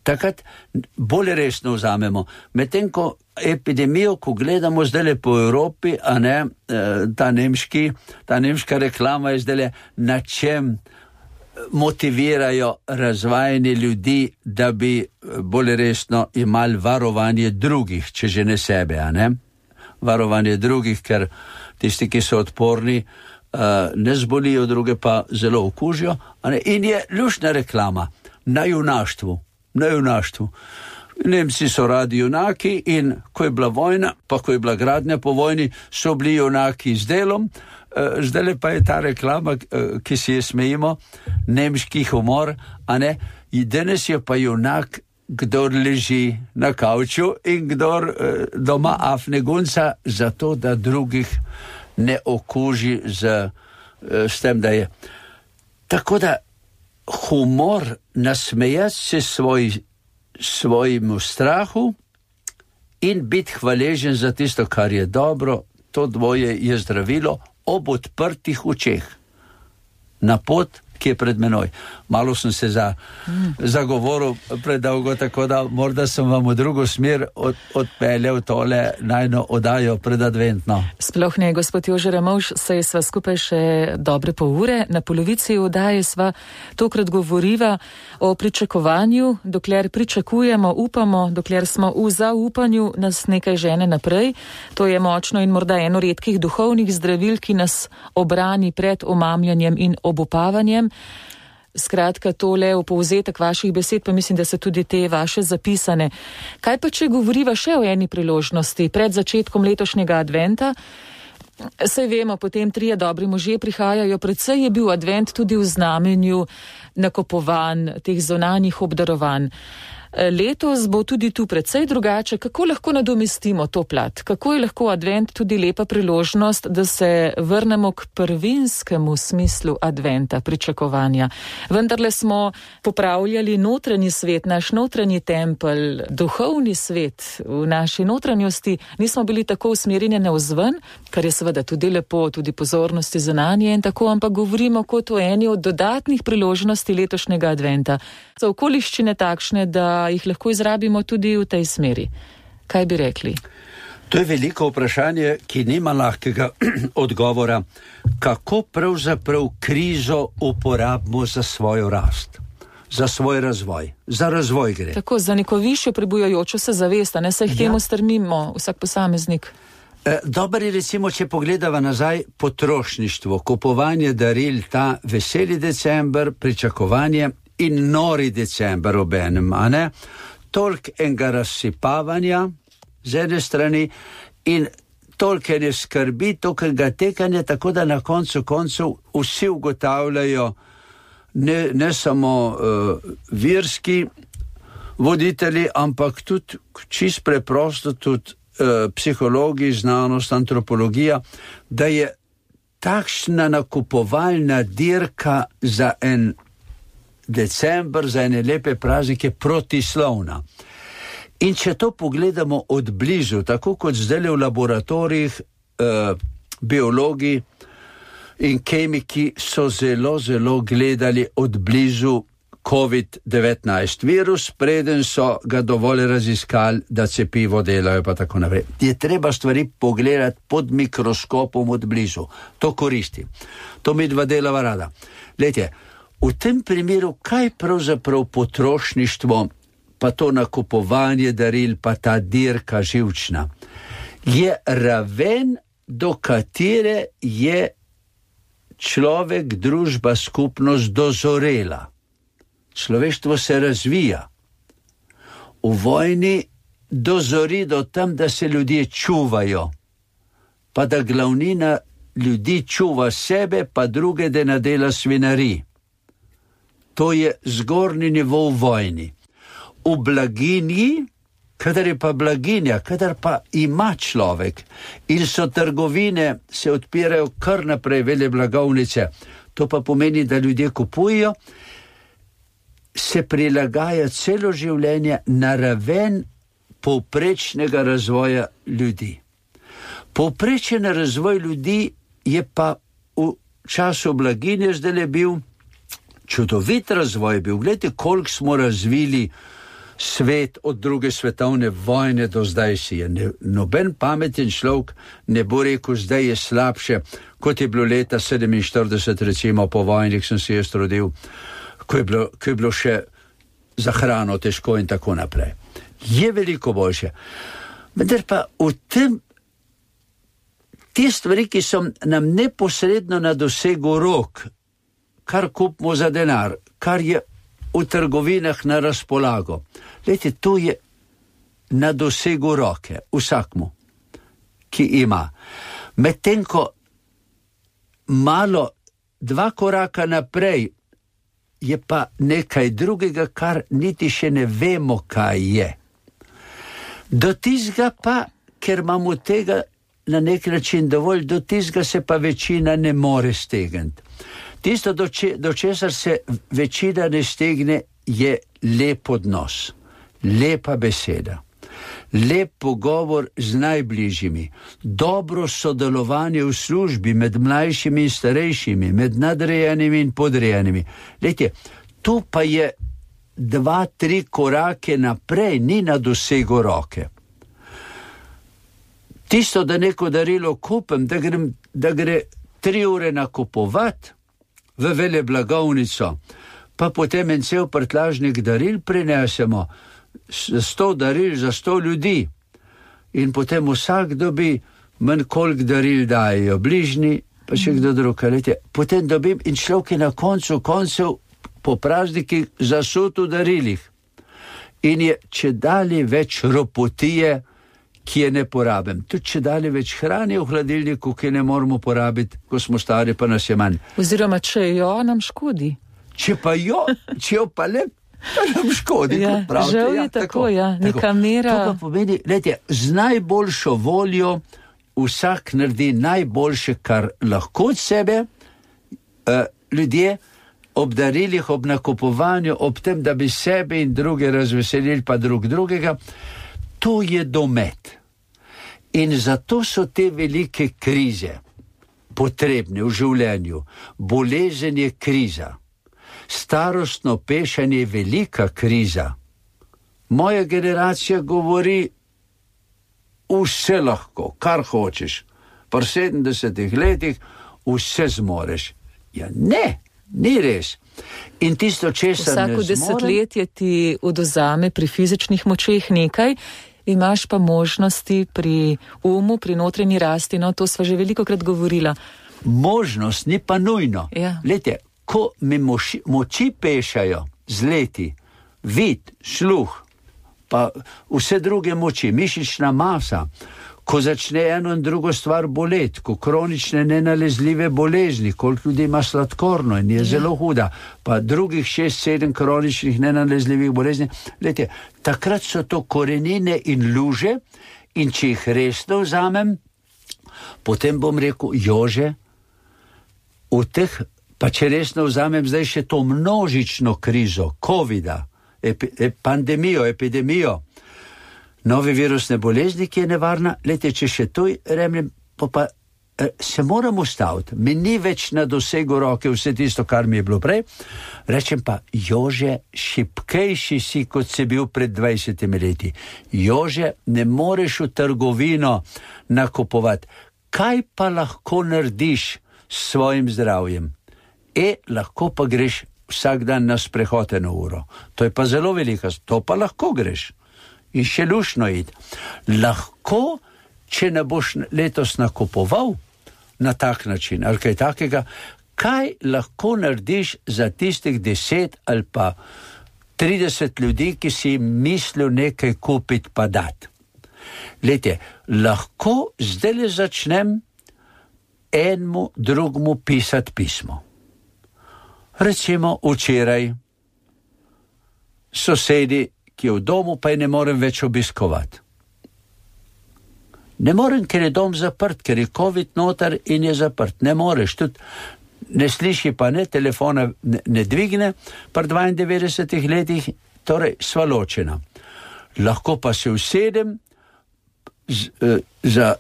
takrat bolj resno vzamemo. Medtem ko epidemijo, ko gledamo zdaj po Evropi, a ne, ta nemški, ta nemška reklama je zdaj na čem motivirajo razvajanje ljudi, da bi bolj resno imeli varovanje drugih, če že ne sebe, a ne? Varovanje drugih, ker tisti, ki so odporni, ne zbolijo, druge pa zelo okužijo, a ne? In je luštna reklama na junaštvu, na junaštvu. Nemci so radi junaki in ko je bila vojna, pa ko je bila gradnja po vojni, so bili junaki z delom. Zdaj pa je ta reklama, ki si je smejimo, nemški humor, a ne, in danes je pa junak, kdor leži na kavču in kdor doma afne gunca, zato da drugih ne okuži z, s tem, da je. Tako da humor, nasmejati se svoj, svojemu strahu in biti hvaležen za tisto, kar je dobro, to dvoje je zdravilo, ob odprtih očeh na pot, ki je pred menoj. Malo sem se za, mm. zagovoril predolgo, tako da morda sem vam v drugo smer od, odpeljal tole najno oddajo predadventno. Sploh ne, gospod Jože Ramovš, saj sva skupaj še dobre pol ure. Na polovici oddaje sva tokrat govoriva o pričakovanju, dokler pričakujemo, upamo, dokler smo v zaupanju, nas nekaj žene naprej. To je močno in morda eno redkih duhovnih zdravil, ki nas obrani pred omamljanjem in obupavanjem. Skratka, tole v povzetek vaših besed, pa mislim, da so tudi te vaše zapisane. Kaj pa, če govoriva še o eni priložnosti pred začetkom letošnjega adventa? Saj vemo, potem trije dobri možje prihajajo, predvsej je bil advent tudi v znamenju nakupovanj, teh zunanjih obdarovanj. Letos bo tudi tu precej drugače. Kako lahko nadomestimo to plat? Kako je lahko advent tudi lepa priložnost, da se vrnemo k prvinskemu smislu adventa, pričakovanja? Vendarle smo popravljali notranji svet, naš notranji tempelj, duhovni svet v naši notranjosti. Nismo bili tako usmerjeni navzven, kar je seveda tudi lepo, tudi pozornosti zunanje in tako, ampak govorimo kot o eni od dodatnih priložnosti letošnjega adventa. So okoliščine takšne, da jih lahko izrabimo tudi v tej smeri. Kaj bi rekli? To je veliko vprašanje, ki nima lahkega odgovora. Kako pravzaprav krizo uporabimo za svojo rast, za svoj razvoj, za razvoj gre. Tako, za neko višjo prebujajočo se zavest, ne se jih temu ja. strmimo, vsak posameznik. E, dober je recimo, če pogledava nazaj potrošništvo, kupovanje daril, ta veseli december, pričakovanje in nori december obenem, a ne? Toliko enega razsipavanja z ene strani in toliko ene skrbi, toliko enega tekanja, tako da na koncu koncev vsi ugotavljajo, ne, ne samo uh, verski voditelji, ampak tudi čist preprosto, tudi uh, psihologi, znanost, antropologija, da je takšna nakupovalna dirka za en december, za ene lepe praznike protislovna. In če to pogledamo od blizu, tako kot zdaj v laboratorijih, eh, biologi in kemiki so zelo, zelo gledali od blizu covid devetnajst virus, preden so ga dovolj raziskali, da cepivo delajo pa tako naprej. Je treba stvari pogledati pod mikroskopom od blizu. To koristi. To mi dva delava rada. Glejte, v tem primeru, kaj pravzaprav potrošništvo, pa to nakupovanje daril, pa ta dirka živčna, je raven, do katere je človek, družba, skupnost dozorela. Človeštvo se razvija. V vojni dozori do tam, da se ljudje čuvajo, pa da glavnina ljudi čuva sebe, pa druge, da ne dela svinari. To je zgornji nivo v vojni. V blaginji, kadar je pa blaginja, kadar pa ima človek in so trgovine, se odpirajo kar naprej vele blagovnice, to pa pomeni, da ljudje kupujejo, se prilagaja celo življenje na raven povprečnega razvoja ljudi. Povprečen razvoj ljudi je pa v času blaginje zdaj bil čudovit razvoj bil. Glejte, koliko smo razvili svet od druge svetovne vojne do zdaj si je. Ne, noben pameten človek ne bo rekel, zdaj je slabše, kot je bilo leta sedeminštirideset, recimo po vojni, sem se jaz rodil, ko je bilo, ko je bilo še za hrano težko in tako naprej. Je veliko boljše. Vendar pa v tem, te stvari, ki so nam neposredno na dosegu rok, kar kupimo za denar, kar je v trgovinah na razpolago. Lejte, to je na dosegu roke vsakmu, ki ima. Medtem ko malo, dva koraka naprej, je pa nekaj drugega, kar niti še ne vemo, kaj je. Do tizga pa, ker imamo tega na nek način dovolj, do tizga se pa večina ne more stegniti. Tisto, do, če, do česar se večina ne stegne, je lep odnos, lepa beseda, lep pogovor z najbližjimi, dobro sodelovanje v službi med mlajšimi in starejšimi, med nadrejenimi in podrejenimi. Lejte, tu pa je dva, tri korake naprej, ni na dosegu roke. Tisto, da neko darilo kupim, da, grem, da gre tri ure nakupovati v veleblagovnico, pa potem en cel prtlažnik daril prinesemo, sto daril za sto ljudi in potem vsak dobi manj, koliko daril dajo bližnji, pa še kdo drug. Potem dobim in človek je na koncu koncev po praznikih zasut v darilih in je čedalje več ropotije, ki je ne porabim. Tudi če dali več hrane v hladilniku, ki ne moramo porabiti, ko smo stari, pa nas je manj. Oziroma, če jo nam škodi. Če pa jo, če jo pa le, pa nam škodi, ja, kot pravite. Žal je ja, tako, tako, ja, neka tako. mera. To pa pomeni, lejte, z najboljšo voljo vsak naredi najboljše, kar lahko od sebe, uh, ljudje ob darilih, ob nakupovanju, ob tem, da bi sebe in druge razveselili, pa drug drugega, to je domet. In zato so te velike krize potrebne v življenju. Bolezen je kriza. Starostno pešanje je velika kriza. Moja generacija govori vse lahko, kar hočeš. Pri sedemdesetih letih vse zmoreš. Ja ne, ni res. In tisto, česar ne zmorem... Vsako desetletje ti odvzame pri fizičnih močeh nekaj, imaš pa možnosti pri umu, pri notranji rasti, no to sva že velikokrat govorila. Možnost ni pa nujno. Ja. Lejte, ko mi moči, moči pešajo z leti, vid, sluh, pa vse druge moči, mišična masa, ko začne eno in drugo stvar boleti, ko kronične nenalezljive bolezni, koliko ljudi ima sladkorno in je ja. zelo huda, pa drugih šest, sedem kroničnih nenalezljivih bolezni, lejte, takrat so to korenine in luže in če jih resno vzamem, potem bom rekel, Jože, v teh, pa če resno vzamem zdaj še to množično krizo, covida, epi, ep, pandemijo, epidemijo, nove virusne bolezni, ki je nevarna, lejte, če še to remljem, pa, pa se moram ustaviti, mi ni več na dosegu roke vse tisto, kar mi je bilo prej, rečem pa, Jože, šipkejši si, kot si bil pred dvajsetimi leti. Jože, ne moreš v trgovino nakupovati. Kaj pa lahko narediš s svojim zdravjem? E, lahko pa greš vsak dan na sprehod eno uro. To je pa zelo velika, to pa lahko greš. In še lušno id. Lahko, če ne boš letos nakupoval na tak način, ali kaj takega, kaj lahko narediš za tistih deset ali pa trideset ljudi, ki si mislil nekaj kupiti pa dati. Lejte, lahko zdaj le začnem enemu drugemu pisati pismo. Recimo včeraj sosedi, ki je v domu, pa je ne morem več obiskovati. Ne morem, ker je dom zaprt, ker je COVID noter in je zaprt. Ne moreš, tudi ne sliši pa ne, telefona ne, ne dvigne, pri dvaindevetdesetih letih, torej sva ločena. Lahko pa se usedem z, uh, za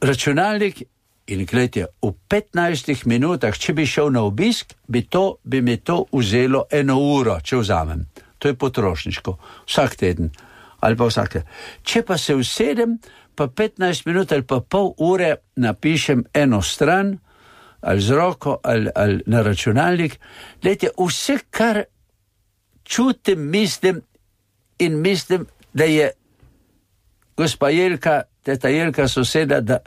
računalnik in gledajte, v petnajstih minutah, če bi šel na obisk, bi, to, bi mi to vzelo eno uro, če vzamem. to je potrošniško, vsak teden ali pa vsak teden. Če pa se usedem, pa petnajst minut ali pa pol ure napišem eno stran, ali z roko, ali, ali na računalnik, glejte, vse, kar čutim, mislim in mislim, da je gospa Jelka, teta Jelka soseda, da,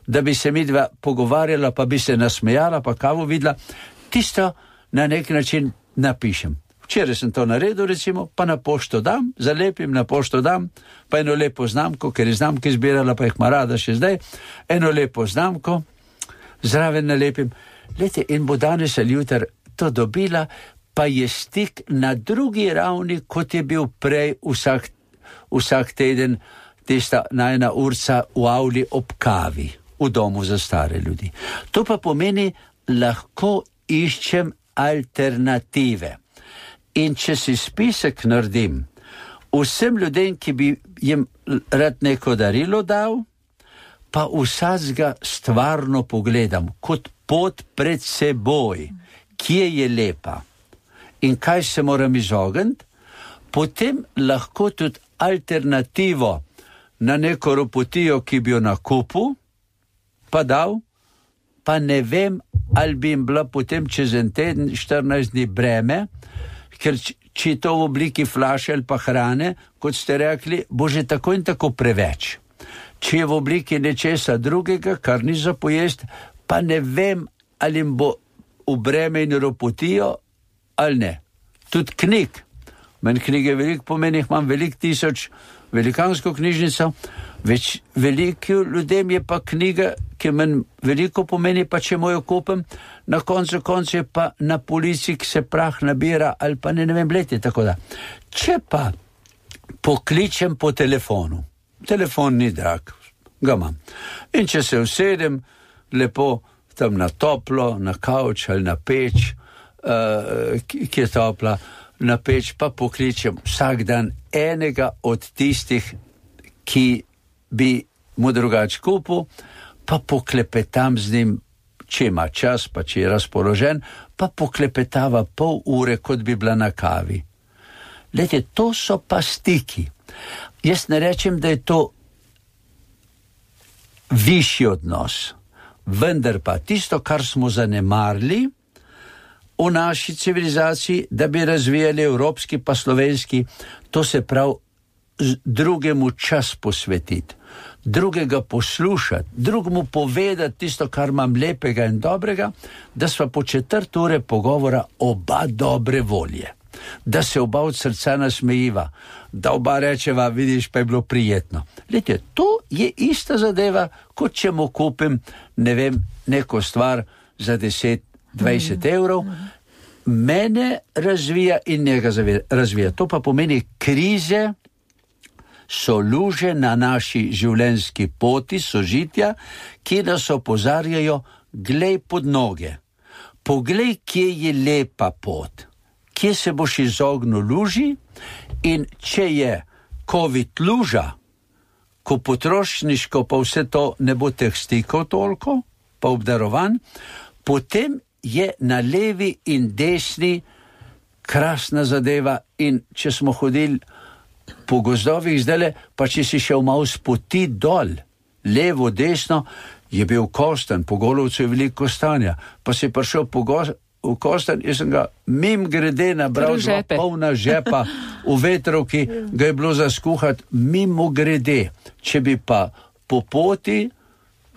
da bi se midva pogovarjala, pa bi se nasmejala, pa kavo videla, tisto na nek način napišem. Včeraj sem to naredil, recimo, pa na pošto dam, zalepim, na pošto dam, pa eno lepo znamko, ker je znamke zbirala, pa jih ima rada še zdaj, eno lepo znamko, zraven nalepim. Lete, in bo danes ali jutri to dobila, pa je stik na drugi ravni, kot je bil prej vsak, vsak teden tista najna urca v avli ob kavi, v domu za stare ljudi. To pa pomeni, lahko iščem alternative. In če si spisek naredim vsem ljudem, ki bi jim rad neko darilo dal, pa vsakega stvarno pogledam, kot pot pred seboj, kje je lepa in kaj se moram izogniti, potem lahko tudi alternativo na neko ropotijo, ki bi jo na kupu, pa dal, pa ne vem, ali bi jim bila potem čez en teden, štirinajst dni breme, ker če je to v obliki flaše ali pa hrane, kot ste rekli, bo že tako in tako preveč. Če je v obliki nečesa drugega, kar ni za pojest, pa ne vem, ali jim bo v breme in ropotijo, ali ne. Tudi knjig. Meni knjige veliko pomeni, imam veliko tisoč, velikansko knjižnico, več veliko ljudem je pa knjiga, ki meni veliko pomeni, pa če mojo kupim, na koncu koncu je pa na polici, ki se prah nabira, ali pa ne, ne vem, leti, tako da. Če pa pokličem po telefonu, telefon ni drag, ga imam. In če se usedem lepo tam na toplo, na kavč ali na peč, uh, ki, ki je topla, na peč, pa pokličem vsak dan enega od tistih, ki bi mu drugač kupil, pa poklepetam z njim, če ima čas, pa če je razpoložen, pa poklepetava pol ure, kot bi bila na kavi. Lejte, to so pa stiki. Jaz ne rečem, da je to višji odnos, vendar pa tisto, kar smo zanemarili v naši civilizaciji, da bi razvijali evropski pa slovenski, to se pravi drugemu čas posvetiti, drugega poslušati, drugemu povedati tisto, kar imam lepega in dobrega, da sva po četrt ure pogovora oba dobre volje, da se oba od srca nasmejiva, da oba rečeva, vidiš, pa je bilo prijetno. Lejte, to je ista zadeva, kot če mu kupim, ne vem, neko stvar za deset, dvajset evrov, mene razvija in njega razvija. To pa pomeni, krize so luže na naši življenjski poti sožitja, ki nas opozarjajo, glej pod noge, poglej, kje je lepa pot, kje se boš izognil luži, in če je COVID luža, ko potrošniško pa vse to ne bo teh stikov toliko, pa obdarovan, potem je na levi in desni krasna zadeva. In če smo hodili po gozdovih zdajle, pa če si šel malo spoti dol, levo, desno, je bil Kostanj, po Golovcu je veliko kostanja, pa si prišel po go- v Kostanj, jaz sem ga mim grede nabral, dva polna žepa v vetrovki, ga je bilo za skuhati mimo grede. Če bi pa po poti,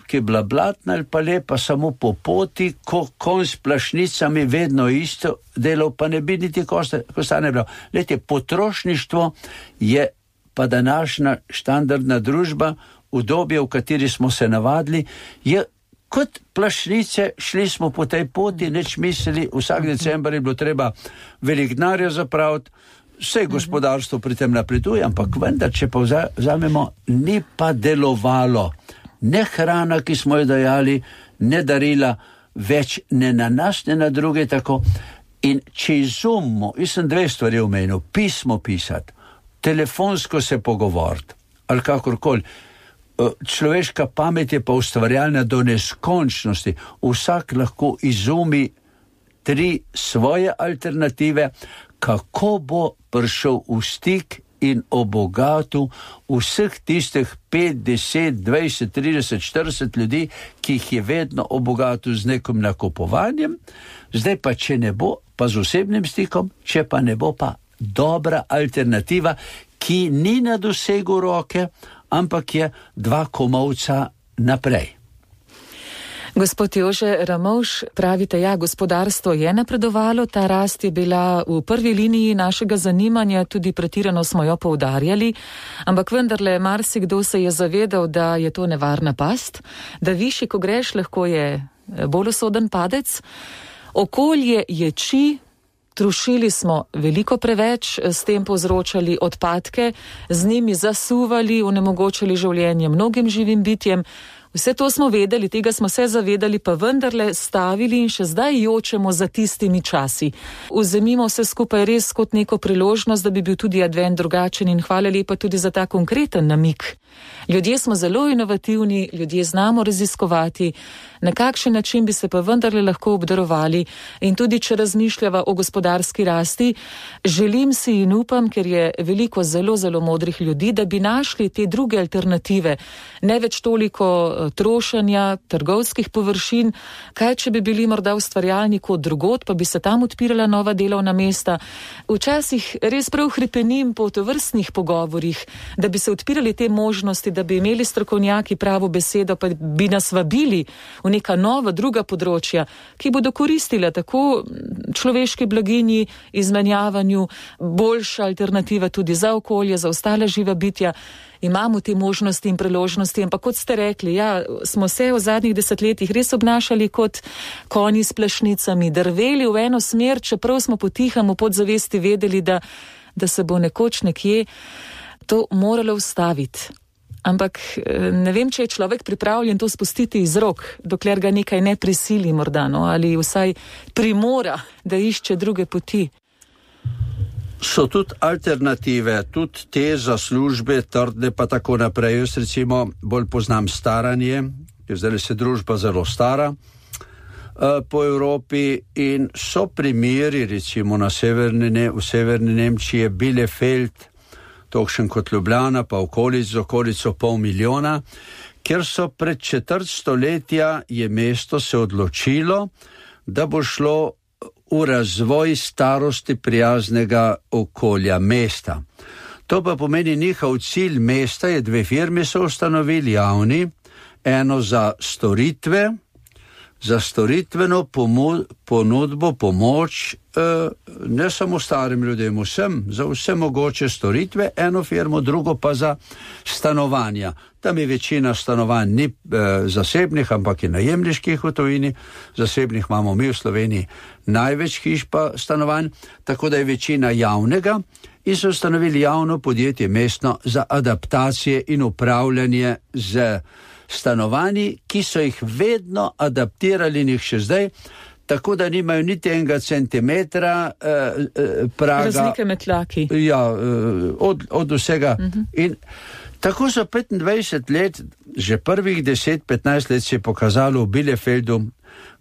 ki je bila blatna ali pa lepa, samo po poti, ko konj s plašnicami vedno isto delal, pa ne bi niti kostane bral. Lejte, potrošništvo je pa današnja štandardna družba, v dobi, v kateri smo se navadili, je kot plašnice, šli smo po tej poti, neč mislili, vsak december je bilo treba velik denarja zapraviti, vse gospodarstvo pri tem napreduje, ampak vendar, če pa vzamemo, ni pa delovalo. Ne hrana, ki smo jo dajali, ne darila, več ne na nas, ne na druge tako. In če izumimo, jaz sem dve stvari omenil, pismo pisati, telefonsko se pogovoriti, ali kakorkoli, človeška pamet je pa ustvarjalna do neskončnosti, vsak lahko izumi tri svoje alternative, kako bo prišel v stik in obogatil vseh tistih pet, deset, dvajset, trideset, štirideset ljudi, ki jih je vedno obogatil z nekim nakupovanjem. Zdaj pa, če ne bo, pa z osebnim stikom, če pa ne bo, pa dobra alternativa, ki ni na dosegu roke, ampak je dva komovca naprej. Gospod Jože Ramovš, pravite, ja, gospodarstvo je napredovalo, ta rast je bila v prvi liniji našega zanimanja, tudi pretirano smo jo poudarjali, ampak vendarle marsikdo se je zavedal, da je to nevarna past, da višji, ko greš, lahko je bolj usoden padec. Okolje ječi, trušili smo veliko preveč, s tem povzročali odpadke, z njimi zasuvali, onemogočili življenje mnogim živim bitjem. Vse to smo vedeli, tega smo se zavedali, pa vendarle stavili in še zdaj jočemo za tistimi časi. Vzemimo vse skupaj res kot neko priložnost, da bi bil tudi advent drugačen in hvala lepa tudi za ta konkreten namik. Ljudje smo zelo inovativni, ljudje znamo raziskovati, na kakšen način bi se pa vendarle lahko obdarovali in tudi, če razmišljava o gospodarski rasti, želim si in upam, ker je veliko zelo, zelo modrih ljudi, da bi našli te druge alternative, ne več toliko trošenja, trgovskih površin, kaj če bi bili morda ustvarjalni kot drugod, pa bi se tam odpirala nova delovna mesta. Včasih res prav hripenim po tovrstnih pogovorih, da bi se odpirali te možnosti, da bi imeli strokovnjaki pravo besedo, pa bi nas vabili v neka nova druga področja, ki bodo koristila tako človeški blaginji, izmenjavanju, boljša alternativa tudi za okolje, za ostale živa bitja. Imamo te možnosti in priložnosti, ampak kot ste rekli, ja, smo se v zadnjih desetletjih res obnašali kot konji s plašnicami, drveli v eno smer, čeprav smo potihamo podzavesti vedeli, da, da se bo nekoč nekje to moralo ustaviti. Ampak ne vem, če je človek pripravljen to spustiti iz rok, dokler ga nekaj ne prisili morda, no, ali vsaj primora, da išče druge poti. So tudi alternative, tudi te za službe, trdne pa tako naprej. Jaz recimo bolj poznam staranje, ker zdaj se družba zelo stara uh, po Evropi in so primeri recimo na severni, ne, v severni Nemčiji, Bielefeld, tokšen kot Ljubljana, pa okolic, z okolico pol milijona, ker so pred četrt stoletja je mesto se odločilo, da bo šlo v razvoj starosti prijaznega okolja mesta. To pa pomeni njihov cilj mesta, je dve firme so ustanovili javni, eno za storitve, za storitveno pomo- ponudbo, pomoč, eh, ne samo starim ljudem, vsem, za vse mogoče storitve, eno firmo, drugo pa za stanovanja. Tam je večina stanovanj ni eh, zasebnih, ampak je najemniških v tujini, zasebnih imamo mi v Sloveniji največ hiš pa stanovanj, tako da je večina javnega in so ustanovili javno podjetje mestno za adaptacije in upravljanje z stanovanji, ki so jih vedno adaptirali njih še zdaj, tako da nimajo niti enega centimetra eh, eh, praga. Razlike med tlaki. Ja, eh, od, od vsega. Uh-huh. In tako so petindvajset let, že prvih deset petnajst let se je pokazalo v Bielefeldu,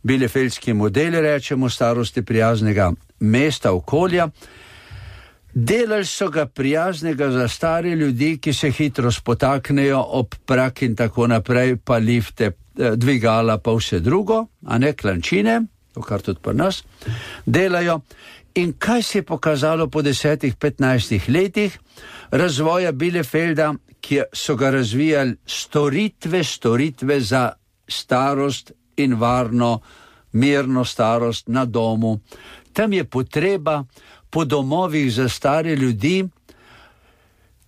bielefeldski model, rečemo, starosti prijaznega mesta, okolja. Delali so ga prijaznega za stare ljudi, ki se hitro spotaknejo ob prak in tako naprej, pa lifte, dvigala, pa vse drugo, a ne klančine, to kar tudi pri nas delajo. In kaj se je pokazalo po desetih, petnajstih letih razvoja Bielefelda, ki so ga razvijali storitve, storitve za starost in varno, mirno starost na domu. Tam je potreba po domovih za stare ljudi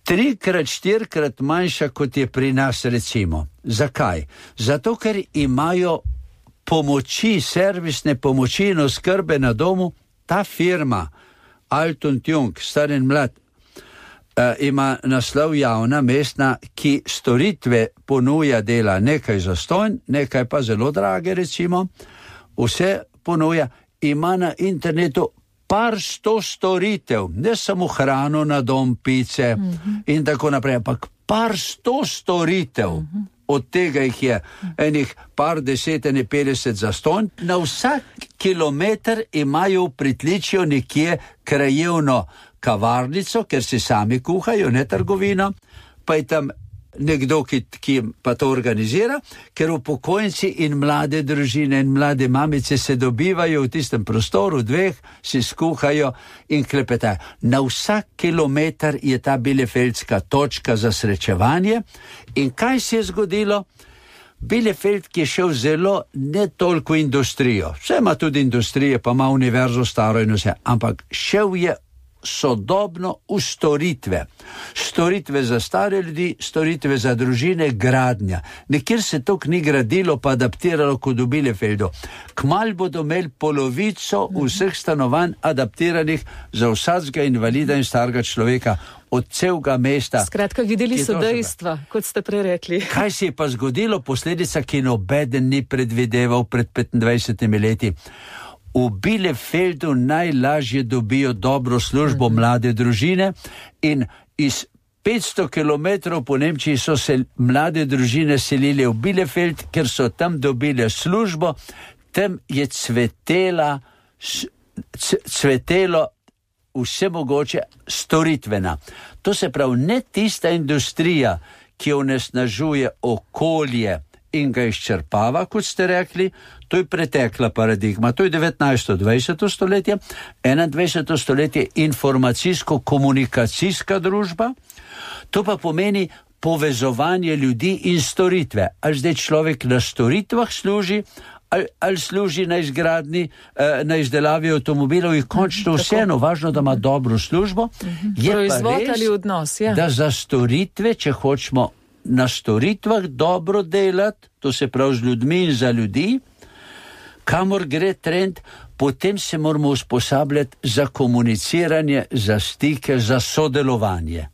trikrat, štirikrat manjša, kot je pri nas recimo. Zakaj? Zato, ker imajo pomoči, servisne pomoči in oskrbe na domu. Ta firma, Alt und Jung, star in mlad, uh, ima naslov javna mestna, ki storitve ponuja, dela nekaj zastonj, nekaj pa zelo drage recimo, vse ponuja, ima na internetu par sto storitev, ne samo hrano na dom, pice uh-huh. in tako naprej, ampak par sto storitev, uh-huh. od tega jih je enih par deset, ene petdeset zastonj, na vsak kilometr imajo v pritličju nekje krajevno kavarnico, ker si sami kuhajo, ne trgovino, pa je tam nekdo, ki, ki pa to organizira, ker upokojenci in mlade družine in mlade mamice se dobivajo v tistem prostoru, dveh, si skuhajo in klepetajo. Na vsak kilometr je ta bielefeldska točka za srečevanje in kaj se je zgodilo? Bielefeld, ki je šel zelo ne toliko industrijo, vse ima tudi industrije, pa ima univerzo staro in vse, ampak šel je sodobno v storitve. Storitve za stare ljudi, storitve za družine, gradnja. Nekjer se to ni gradilo pa adaptiralo kot v Bielefeldu. Kmalu bodo imeli polovico vseh stanovanj adaptiranih za vsakega invalida in starega človeka od celega mesta. Skratka, videli so dejstva, kot ste prej rekli. Kaj se je pa zgodilo? Posledica, ki nobeden ni predvideval pred petindvajsetimi leti. V Bielefeldu najlažje dobijo dobro službo mm-hmm. mlade družine in iz petsto kilometrov po Nemčiji so se mlade družine selili v Bielefeld, ker so tam dobili službo, tam je cvetela, cvetelo vse mogoče storitvena. To se pravi, ne tista industrija, ki onesnažuje okolje in ga izčrpava, kot ste rekli, to je pretekla paradigma, to je devetnajsto dvajseto stoletje, enaindvajseto stoletje informacijsko-komunikacijska družba, to pa pomeni povezovanje ljudi in storitve. Ali zdaj človek na storitvah služi, ali, ali služi na izgradni, na izdelavi avtomobilov in končno vseeno, važno, da ima dobro službo, je proizvod pa res, ali odnos, ja. Da za storitve, če hočemo na storitvah dobro delati, to se pravi z ljudmi in za ljudi, kamor gre trend, potem se moramo usposabljati za komuniciranje, za stike, za sodelovanje.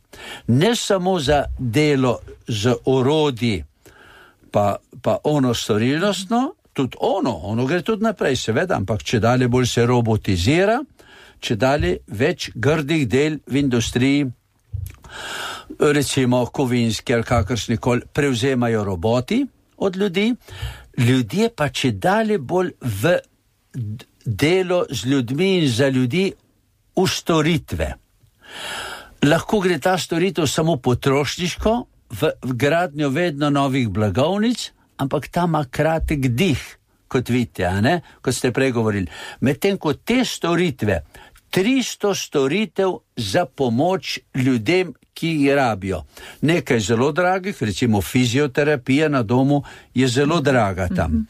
Ne samo za delo z orodji, pa, pa ono storilnostno, tudi ono, ono gre tudi naprej, seveda, ampak če dalje bolj se robotizira, če dalje več grdih del v industriji, recimo kovinski ali kakršnikoli, prevzemajo roboti od ljudi, ljudje pa če dalje bolj v delo z ljudmi in za ljudi v storitve. Lahko gre ta storitev samo potrošniško, v, v gradnjo vedno novih blagovnic, ampak ta ima kratek dih, kot vidite, a ne, kot ste prej govorili. Medtem ko te storitve, tristo storitev za pomoč ljudem, ki jih rabijo. Nekaj zelo dragih, recimo fizioterapija na domu je zelo draga tam.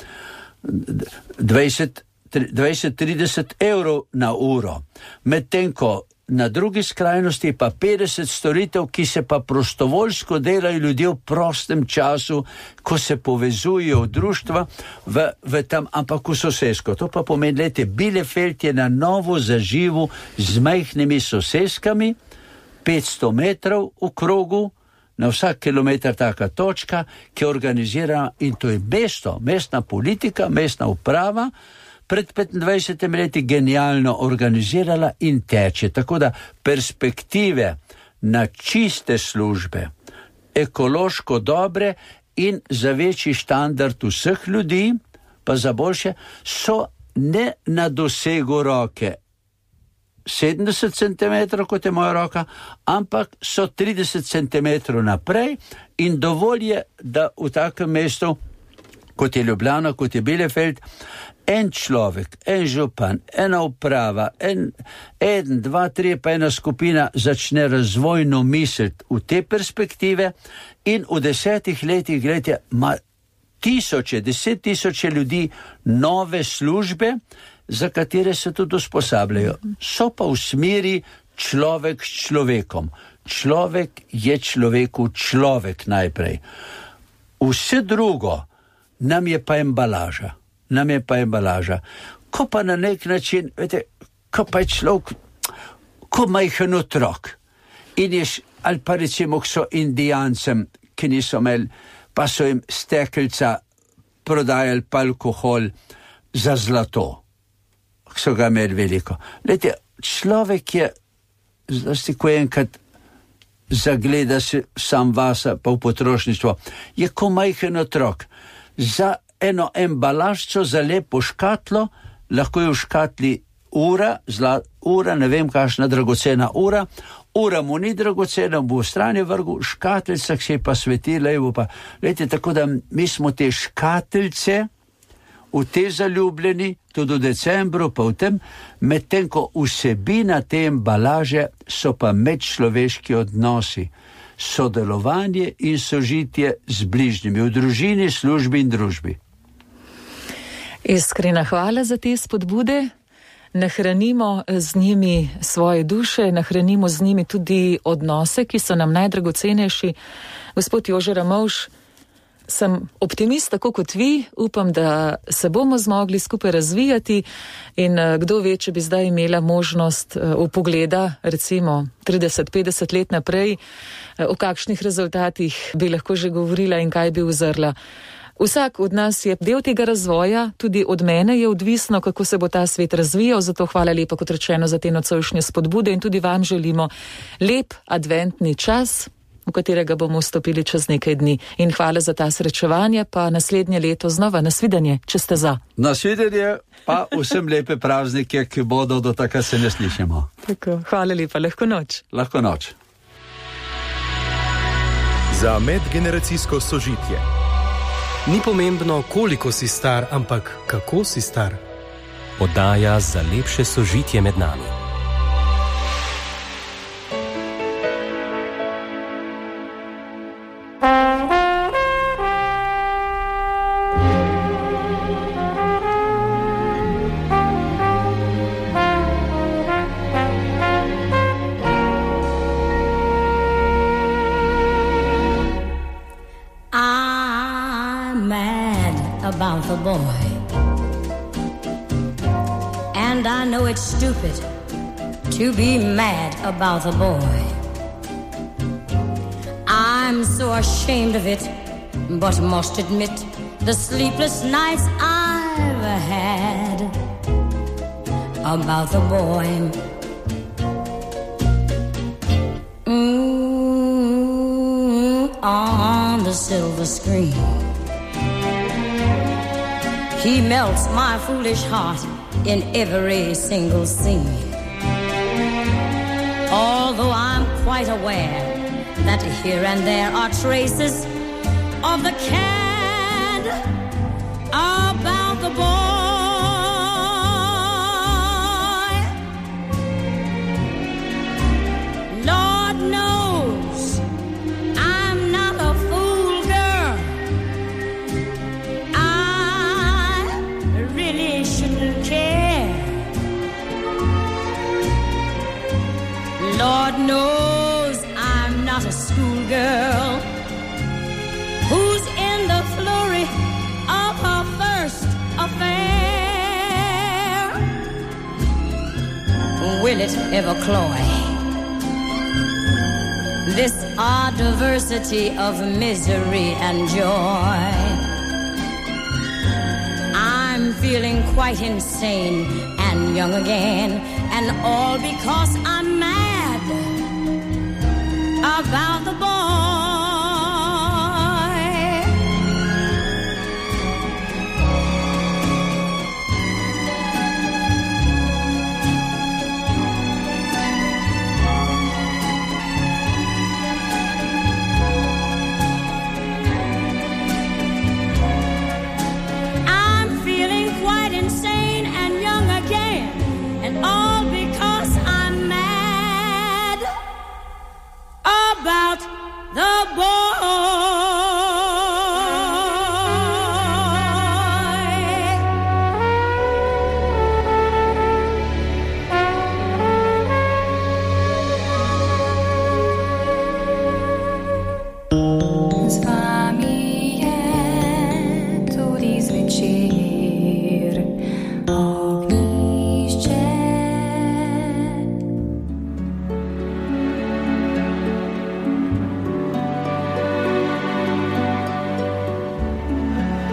dvajset do trideset evrov na uro. Medtem ko na drugi skrajnosti pa petdeset storitev, ki se pa prostovoljsko delajo ljudje v prostem času, ko se povezujejo v društva, v, v tam, ampak v sosesko. To pa pomeni, lete, Bielefeld je na novo zaživu z majhnimi soseskami, petsto metrov v krogu, na vsak kilometr taka točka, ki je organizirana, in to je mesto, mestna politika, mestna uprava, pred petindvajsetimi leti genialno organizirala in teče. Tako da perspektive na čiste službe, ekološko dobre in za večji standard vseh ljudi, pa za boljše, so ne na dosegu roke sedemdeset centimetrov, kot je moja roka, ampak so trideset centimetrov naprej in dovolj je, da v takem mestu, kot je Ljubljana, kot je Bielefeld, en človek, en župan, ena uprava, en, en, dva, tri, pa ena skupina začne razvojno misliti v te perspektive in v desetih letih, gledajte, ima tisoče, deset tisoče ljudi nove službe, za katere se tudi usposabljajo. So pa v smeri človek s človekom. Človek je človeku človek najprej. Vse drugo nam je pa embalaža. Nam je pa embalaža. Ko pa na nek način, vete, ko pa je človek, ko majhen otrok in ješ, ali pa recimo, ko so Indijancem, ki niso imeli, pa so jim stekelca prodajali pa alkohol za zlato. So ga imeli veliko. Lete, človek je, zlasti ko enkrat zagleda se sam vasa, pa v potrošništvo, je ko majhen otrok. Za eno embalažco, za lepo škatlo, lahko je v škatli ura, zla, ura, ne vem kakšna dragocena ura, ura mu ni dragocena, bo v strani vrgu, škatlica se je pa svetila, evo pa, lejte, tako da mi smo te škatlice v te zaljubljeni, tudi v decembru, pa v tem, medtem ko vsebina te embalaže so pa medčloveški odnosi, sodelovanje in sožitje z bližnjimi, v družini, službi in družbi. Iskrena hvala za te spodbude. Nahranimo z njimi svoje duše, nahranimo z njimi tudi odnose, ki so nam najdragocenejši. Gospod Jože Ramovš, sem optimist, tako kot vi, upam, da se bomo zmogli skupaj razvijati in kdo ve, če bi zdaj imela možnost vpogleda, recimo trideset petdeset let naprej, o kakšnih rezultatih bi lahko že govorila in kaj bi uzrla. Vsak od nas je del tega razvoja, tudi od mene je odvisno, kako se bo ta svet razvijal, zato hvala lepa, kot rečeno, za te nocojšnje spodbude in tudi vam želimo lep adventni čas, v katerega bomo vstopili čez nekaj dni. In hvala za ta srečevanje, pa naslednje leto znova nasvidenje, če ste za. Nasvidenje, pa vsem lepe praznike, ki bodo, do takrat se ne slišimo. Tako, hvala lepa, lahko noč. Lahko noč. Za medgeneracijsko sožitje. Ni pomembno, koliko si star, ampak kako si star. Oddaja za lepše sožitje med nami. About the boy, and I know it's stupid to be mad about the boy. I'm so ashamed of it, but must admit the sleepless nights I've had about the boy. Mm, on the silver screen, he melts my foolish heart in every single scene. Although I'm quite aware that here and there are traces of the cad about the boy. Lord knows I'm not a fool girl. Lord knows I'm not a schoolgirl who's in the flurry of her first affair. Will it ever cloy this odd diversity of misery and joy? I'm feeling quite insane and young again, and all because I'm mad about the boy. I'm feeling quite insane and young again, and all because I'm mad about the boy. Z vami je tudi zvečer ognjišče.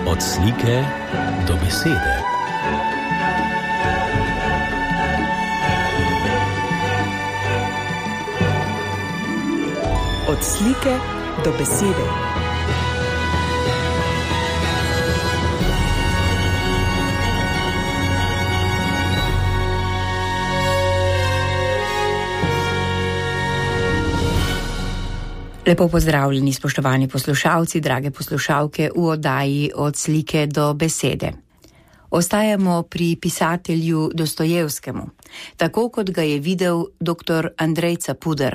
Od slike do besede. Od slike do besede. Lepo pozdravljeni, spoštovani poslušalci, drage poslušalke v oddaji Od slike do besede. Ostajamo pri pisatelju Dostojevskemu, tako kot ga je videl doktor Andrej Capuder,